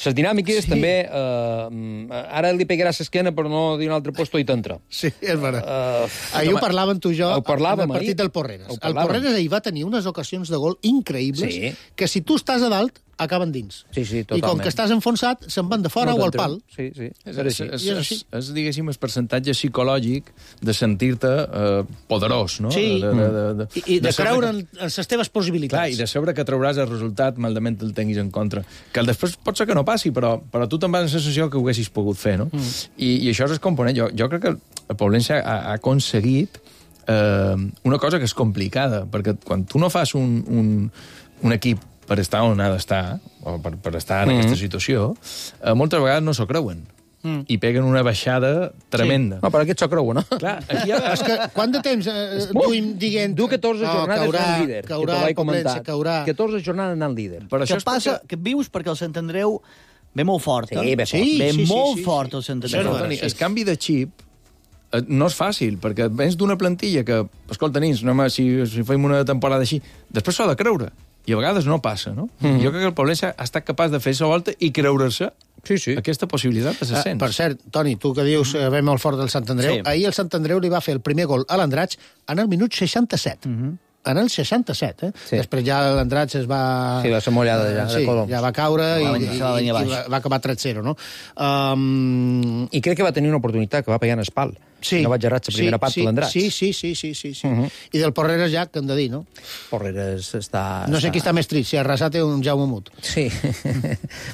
Les dinàmiques sí. també... Eh, ara li pegaràs l'esquena per no dir un altre puesto i t'entra. Sí, és veritat. Uh, ahir ho parlàvem tu i jo ho parlàvem en el partit ahir. del Porreres. Ho El parlàvem. Porreres ahir va tenir unes ocasions de gol increïbles Sí. que si tu estàs a dalt acaben dins. Sí, sí, I com totalment. que estàs enfonsat, se'n van de fora No o al t'entren. pal. Sí, sí. És, Era és, així. és, I és és, així. és, diguéssim, el percentatge psicològic de sentir-te eh, poderós, no? Sí. De, de, de, de, I, i de, saber creure que- en, en les teves possibilitats. Clar, i de saber que trauràs el resultat maldament el tinguis en contra. Que el després pot ser que no passi, però, però tu te'n vas amb la sensació que ho haguessis pogut fer, no? Mm. I, I això és el component. Jo, jo crec que el Poblense ha, ha aconseguit eh, una cosa que és complicada, perquè quan tu no fas un, un, un equip per estar on ha d'estar, o per, per estar en mm. aquesta situació, eh, moltes vegades no s'ho creuen. Mm. I peguen una baixada tremenda. Sí. No, però aquest s'ho creu, no? Clar, aquí hi ha... És que quant de temps eh, duim dient... Du catorze no, jornades caurà, anant líder, caurà, que te l'he el Poblense, comentat. caurà. catorze jornades anant líder. Per Que això és passa perquè- que vius perquè el Sant Andreu ve molt fort. Sí, eh? ve fort. ve Sí, sí, molt sí, sí, fort sí. el Sant Això és Andreu. veritat. Toni, sí, el sí. canvi de xip eh, no és fàcil, perquè vens d'una plantilla que, escolta, nins, no, home, si, si fem una temporada així, després s'ha de creure, i a vegades no passa, no? Mm. Jo crec que el Poblense ha estat capaç de fer la volta i creure-se sí, sí. aquesta possibilitat de Ah, s'ascens. per cert, Toni, tu que dius que ve molt fort del Sant Andreu, Sí. ahir el Sant Andreu li va fer el primer gol a l'Andratx en el minut seixanta-set. Mm -hmm. En el seixanta-set, eh? Sí. Després ja l'Andratx es va... Sí, va ser mollada ja, de sí, coloms. ja va caure i, Va venir- i, se va venir i, baix. i va, va acabar tres zero, no? Um, I crec que va tenir una oportunitat que va pegar en espal. sí, No vaig errar la primera sí, part sí, de l'Andratx. Sí, sí, sí, sí, sí, sí. Uh -huh. I del Porreres ja, que hem de dir, no? Porreres està... No sé qui està més trist, si Arrasate o un Jaume Mut. Sí.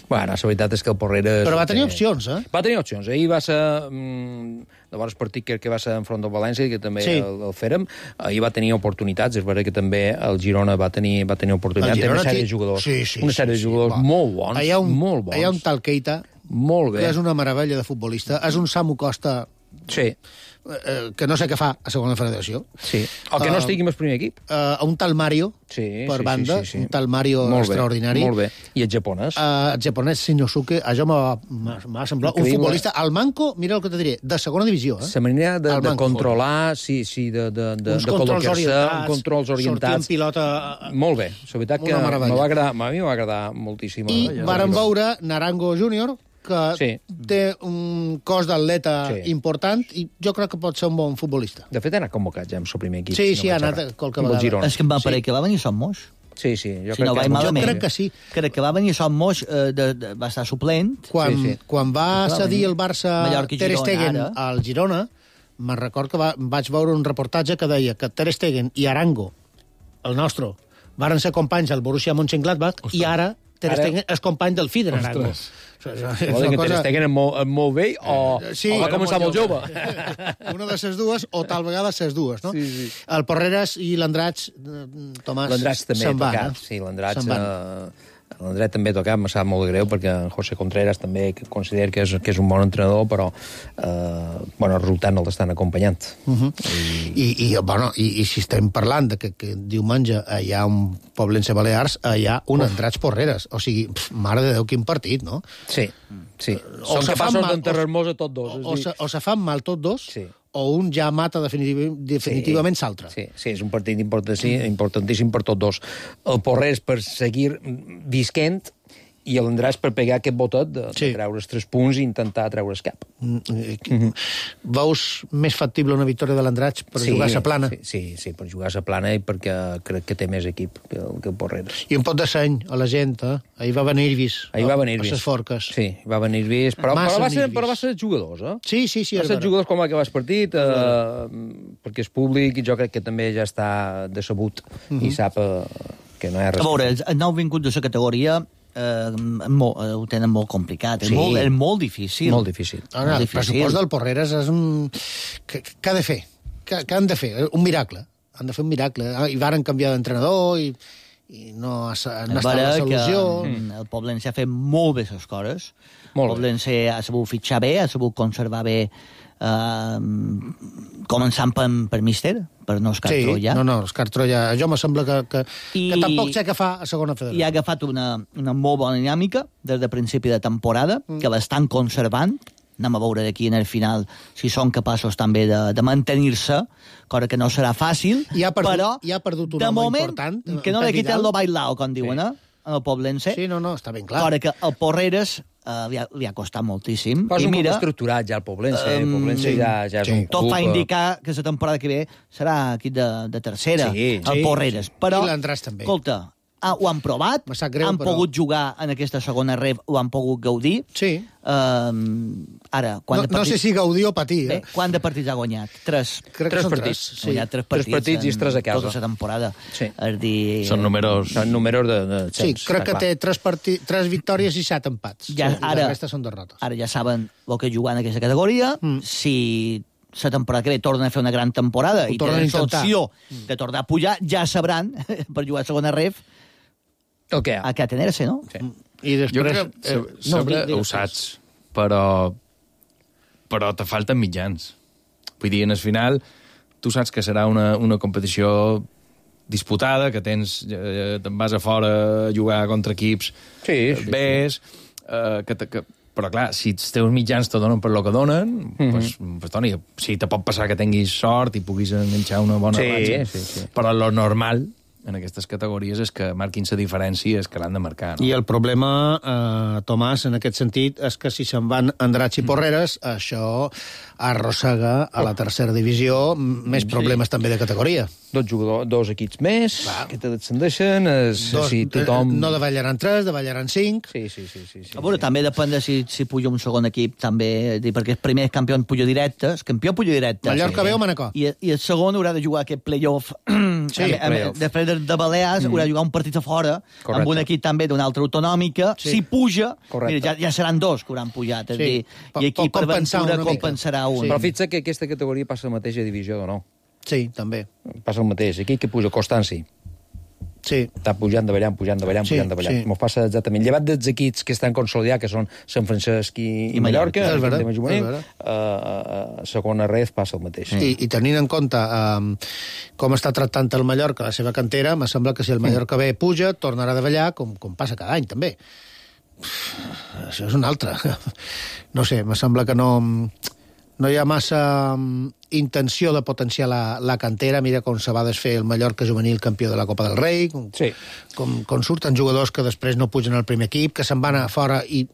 bueno, la veritat és que el Porreres... Però va tenir opcions, eh? Va tenir opcions. Ahir va ser... Mm, llavors partit que, que va ser enfront del València, que també Sí. sí. el, el fèrem. Ahir va tenir oportunitats. És veritat que també el Girona va tenir, va tenir oportunitats. El Té una Girona sèrie té- de jugadors. Sí, sí, una sèrie sí, de jugadors sí, va. molt bons. Hi ha un, molt bons. Hi ha un tal Keita, Molt bé. que és una meravella de futbolista. És un Samu Costa Sí. eh, que no sé què fa a segona federació. Sí. O que no Uh, estigui en el primer equip. Uh, un tal Mario, Sí, per sí, banda, sí, sí, sí. un tal Mario molt extraordinari. Bé, molt bé. I el japonès. Uh, el japonès Shinosuke, això m'ha m'ha- m'ha semblat un Increïble. futbolista, al manco, mira el que te diré, de segona divisió. Eh? La manera de, Al de manco. controlar, sí, sí, de, de, de, Uns de controls col·locar-se, orientats, controls sortir orientats. en pilota... eh, Molt bé. La veritat que Una meravella. me va agradar, a mi me va agradar moltíssim. I Ja, vàrem ja. veure Naranjo júnior, que Sí. té un cos d'atleta Sí. important i jo crec que pot ser un bon futbolista. De fet, ha anat convocat ja amb el primer equip. Sí, si sí, no ha vaig anat errar. qualque Amb el vegada. Girona. És que em va Sí. parer que va venir Son Moix. Sí, sí. Jo Si crec no que vaig molt- malament. crec que sí. Crec que va venir Son Moix, eh, de, de, va estar suplent. Quan, Sí, sí. quan va Clar, cedir venir. el Barça Mallorca i Ter Girona, Stegen ara. al Girona, me'n record que va, vaig veure un reportatge que deia que Ter Stegen i Arango, el nostre, varen ser companys al Borussia Mönchengladbach i ara Ter Ara- Stegen és company del Fider Arango. Ostres. És Vol dir que una Ter Stegen és molt, és molt vell o, Sí, o va era començar molt molt jove. Una de ses dues, o tal vegada ses dues, no? Sí, sí. El Porreres i l'Andratx, eh, Tomàs, L'Andratx també se'n van, tocat. eh? Sí, l'Andratx... Se'n van. Eh, L'Andret també tocat, me sap molt greu, perquè en José Contreras també que considera que és, que és un bon entrenador, però eh, bueno, el resultat no l'estan acompanyant. Uh -huh. I, i, bueno, i, i si estem parlant de que, que diumenge hi ha un Poblense Balears, hi ha un Andratx Porreres. O sigui, pf, mare de Déu, quin partit, no? Sí, sí. O Són se fan capaços mal- d'enterrar-nos a tots dos. és O, dir- se, o se fan mal tots dos, Sí. o un ja mata definitiv, definitivament l'altre. Sí, sí, és un partit importantíssim, importantíssim per tots dos. El Porrers per seguir visquent i l'Andràs per pegar aquest botet de, sí. de treure els tres punts i intentar treure's cap. Mm -hmm. Veus més factible una victòria de l'Andratx per sí, jugar a la plana? Sí, sí, sí, per jugar a la plana i perquè crec que té més equip que el, que el Porreres. I un pot de seny a la gent, eh? Ahir va venir Irvis. Ahir va venir A Irvis. les forques. Sí, va venir Irvis, però, Massa però, va ser, Irvis. però va ser jugadors, eh? Sí, sí, sí. Va és ser vera. jugadors com va acabar el partit, eh, perquè és públic i jo crec que també ja està decebut uh -huh. i sap eh, que no hi ha res. A veure, els nou vinguts de la categoria eh, molt, eh, ho tenen molt complicat. És, Sí. molt, és molt difícil. Molt difícil. Ara, Molt el difícil. pressupost del Porreres és un... Què, què ha de fer? Què, què han de fer? Un miracle. Han de fer un miracle. Ah, I varen canviar d'entrenador i, i no ha, no ha estat la solució. Que, el Poblense ha fet molt bé les coses. El Poblense ha sabut fitxar bé, ha sabut conservar bé, eh, començant per, per Míster, per no Òscar sí, Troia. no, no, Òscar Troia. Jo me sembla que, que, I, que tampoc sé què fa a segona federació. I ha agafat una, una molt bona dinàmica des de principi de temporada, mm. que l'estan conservant. Anem a veure d'aquí en el final si són capaços també de, de mantenir-se, cosa que no serà fàcil, I ha perdut, però i ha perdut un de home moment, important. que no li quiten lo bailao, com diuen, sí. eh? En el Poblense. Sí, no, no, està ben clar. Cosa que el Porreres eh, li, ha, li ha costat moltíssim. Però és I un mira, club estructurat ja el Poblense. Eh? El Um, Poblense sí, ja, ja és sí. un club... Tot fa indicar que la temporada que ve serà aquí de, de tercera, Sí, el sí, Porreres. sí. Però, I l'Andràs també. escolta, ah, ho han provat, greu, han però... pogut jugar en aquesta segona ref, ho han pogut gaudir. Sí. Um, ara, quan No, de no partits... sé si gaudir o patir. Eh? Bé, quant de partits ha guanyat? Tres. Crec que Tres són partits. tres, Ha guanyat tres partits, Tres partits i tres a casa. tota la temporada. Sí. És dir... Són números... Són números de... de Sí, temps, crec que clar. té tres, partí... tres victòries i set empats. Ja, sí, ara, la resta són derrotes. ara ja saben el que jugar en aquesta categoria. Mm. Si la temporada que ve tornen a fer una gran temporada Ho i tornen a tenen intentar. l'opció de tornar a pujar, ja sabran, per jugar a segona ref, el que a què atener-se, no? Sí. I després... Jo crec que eh, sobre, sobre no, ho saps, però, però te falten mitjans. Vull dir, en el final, tu saps que serà una, una competició disputada, que tens, eh, te'n vas a fora a jugar contra equips Sí, sí, bés, eh, que, te- que, però clar, si els teus mitjans te donen per lo que donen, Mhm. pues, pues, Toni, sí, te pot passar que tinguis sort i puguis enganxar una bona Sí, ratxa, sí, sí. però lo normal en aquestes categories és que marquin la diferència, és que l'han de marcar. No? I el problema, eh, Tomàs, en aquest sentit, és que si se'n van Andratx i Porreres, això arrossega a la tercera divisió més problemes Sí. també de categoria. Dos jugadors, dos equips més, Clar. que te descendeixen, es, Dos, si tothom... eh, No davallaran tres, davallaran cinc. Sí, sí, sí. sí, sí A veure, sí. també depèn de si, si puja un segon equip, també, és dir, perquè el primer campió puja directe, el campió puja directe. Mallorca sí. ve o Manacor. I, I el segon haurà de jugar aquest play-off. Sí, a, a, play-off. després de, de Balears, mm. haurà de jugar un partit a fora, Correcte. amb un equip també d'una altra autonòmica. Sí. Si puja, Correcte. mira, ja, ja seran dos que hauran pujat. És Sí. dir, Pot- i aquí pot per compensar ventura una mica. compensarà un. Sí. Però fixa't que aquesta categoria passa la mateixa divisió o no. Sí, també. Passa el mateix. Aquí que puja Constanci. Sí. Està pujant, davallant, pujant, davallant, Sí, pujant, davallant. sí. Mos passa exactament. Llevat dels equips que estan consolidats, que són Sant Francesc i, i, I Mallorca. Mallorca, És vera, tema juvenil, és vera. uh, uh, segona ref passa el mateix. I, I tenint en compte um, com està tractant el Mallorca la seva cantera, me sembla que si el Mallorca bé puja, tornarà a davallar, com, com passa cada any, també. Uf, això és un altre. No sé, me sembla que no... No hi ha massa um, intenció de potenciar la, la cantera. Mira com se va desfer el Mallorca juvenil campió de la Copa del Rei, com, Sí. com, com surten jugadors que després no pugen al primer equip, que se'n van a fora i,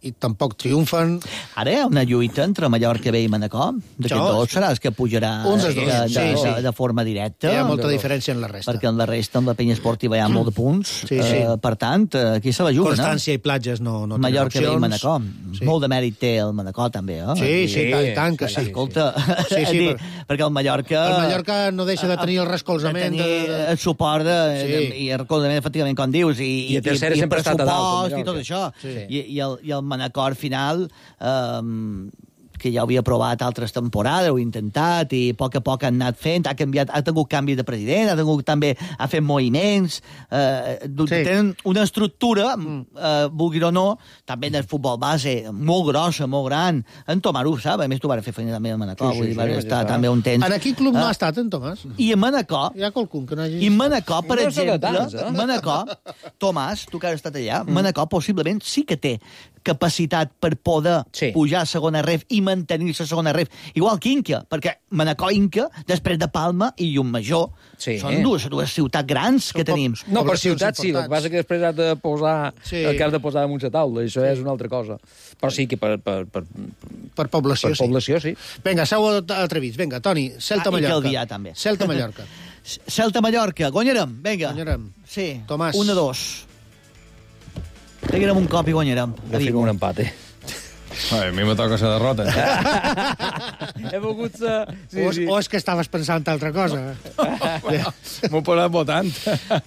i tampoc triomfen. Ara hi ha una lluita entre Mallorca B i Manacor. D'aquests Això, dos serà el que pujarà Un dels de, dos, de, sí, sí. de, de forma directa. Hi ha molta diferència en la resta. Perquè en la resta, en la penya esportiva, hi ha molt de punts. Sí, sí. Eh, per tant, eh, aquí se la juga, Constància i platges no, no no? tenen Mallorca B i opcions. Manacor. Sí. Molt de mèrit té el Manacor, també, eh? Sí, sí, Sí, tant, tant que sí, sí. Escolta, Sí, sí, és dir, per- perquè el Mallorca... El Mallorca no deixa de tenir el de recolzament. tenir De, de, el suport de, Sí. de, i el recolzament, efectivament, com dius, i, I a tercera i, i el sempre ha estat a dalt, el pressupost i tot això. Sí. I, i, el, I el Manacor, al final, eh, que ja ho havia provat altres temporades, ho ha intentat, i a poc a poc han anat fent, ha canviat, ha tingut canvi de president, ha tingut també, ha fet moviments, eh, Sí. tenen una estructura, eh, vulgui o no, també en el futbol base, molt grossa, molt gran. En Tomàs ho sap, a més tu vas fer feina també al Manacor, Sí, sí, vull dir, sí, vas ja estar està. també un temps. en quin club no Ah. ha estat, en Tomàs? I a Manacor, Hi ha qualcun que no hagi... i Manacor, per No és de exemple, tants, eh? Manacor, Tomàs, tu que has estat allà, mm. Manacor possiblement sí que té capacitat per poder Sí. pujar a segona ref i mantenir-se a segona ref. Igual que Inca, perquè Manacor i Inca, després de Palma i Llumajor, Sí. són dues, dues ciutats grans que Són tenim. No, per Poblacions ciutat sí, el que importants. passa que després has de posar Sí. el que has de posar damunt la taula, això és una altra cosa. Però sí que per, per, per, Per població, per sí. població, sí. Vinga, sou atrevits. Vinga, Toni, Ah, Celta-Mallorca. i Calvià, també. Celta-Mallorca. Celta-Mallorca, guanyarem, vinga. Guanyarem. Sí, Tomàs. un a dos. Peguem un cop i guanyarem. Jo fico un empat, eh? Ai, a mi me toca la derrota. He volgut ser... Sí, o, és, sí. o és que estaves pensant altra cosa. M'ho he posat votant.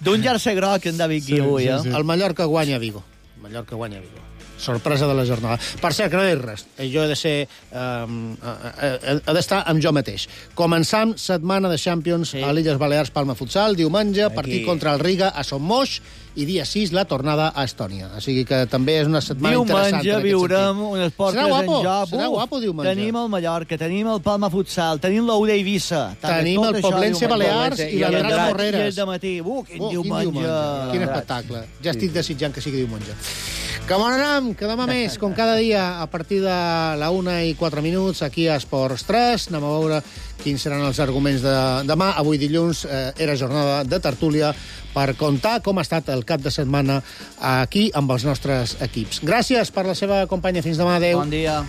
D'un jersei groc, en David Guiu, eh? El Mallorca guanya a Vigo. El Mallorca guanya a Vigo. sorpresa de la jornada. Per cert, que no és res. Jo he de ser... Um, he d'estar amb jo mateix. Començam setmana de Champions sí. a l'Illes Balears Palma Futsal, diumenge, Aquí. partit contra el Riga a Son Moix, i dia sis la tornada a Estònia. O sigui que també és una setmana diumenge interessant. Diumenge viurem unes portes en joc. Serà guapo diumenge. Tenim el Mallorca, tenim el Palma Futsal, tenim l'Oure Eivissa. Tenim el Poblense Balears i l'Andrat Morreres. De matí. Uh, quin, oh, diumenge. quin diumenge. Quin espectacle. Ja estic desitjant que sigui diumenge. Que bon anam, que demà més, com cada dia, a partir de la una i quatre minuts, aquí a Esports tres. Anem a veure quins seran els arguments de demà. Avui dilluns eh, era jornada de tertúlia per contar com ha estat el cap de setmana aquí amb els nostres equips. Gràcies per la seva companya. Fins demà. Adéu. Bon dia.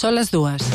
Són les dues.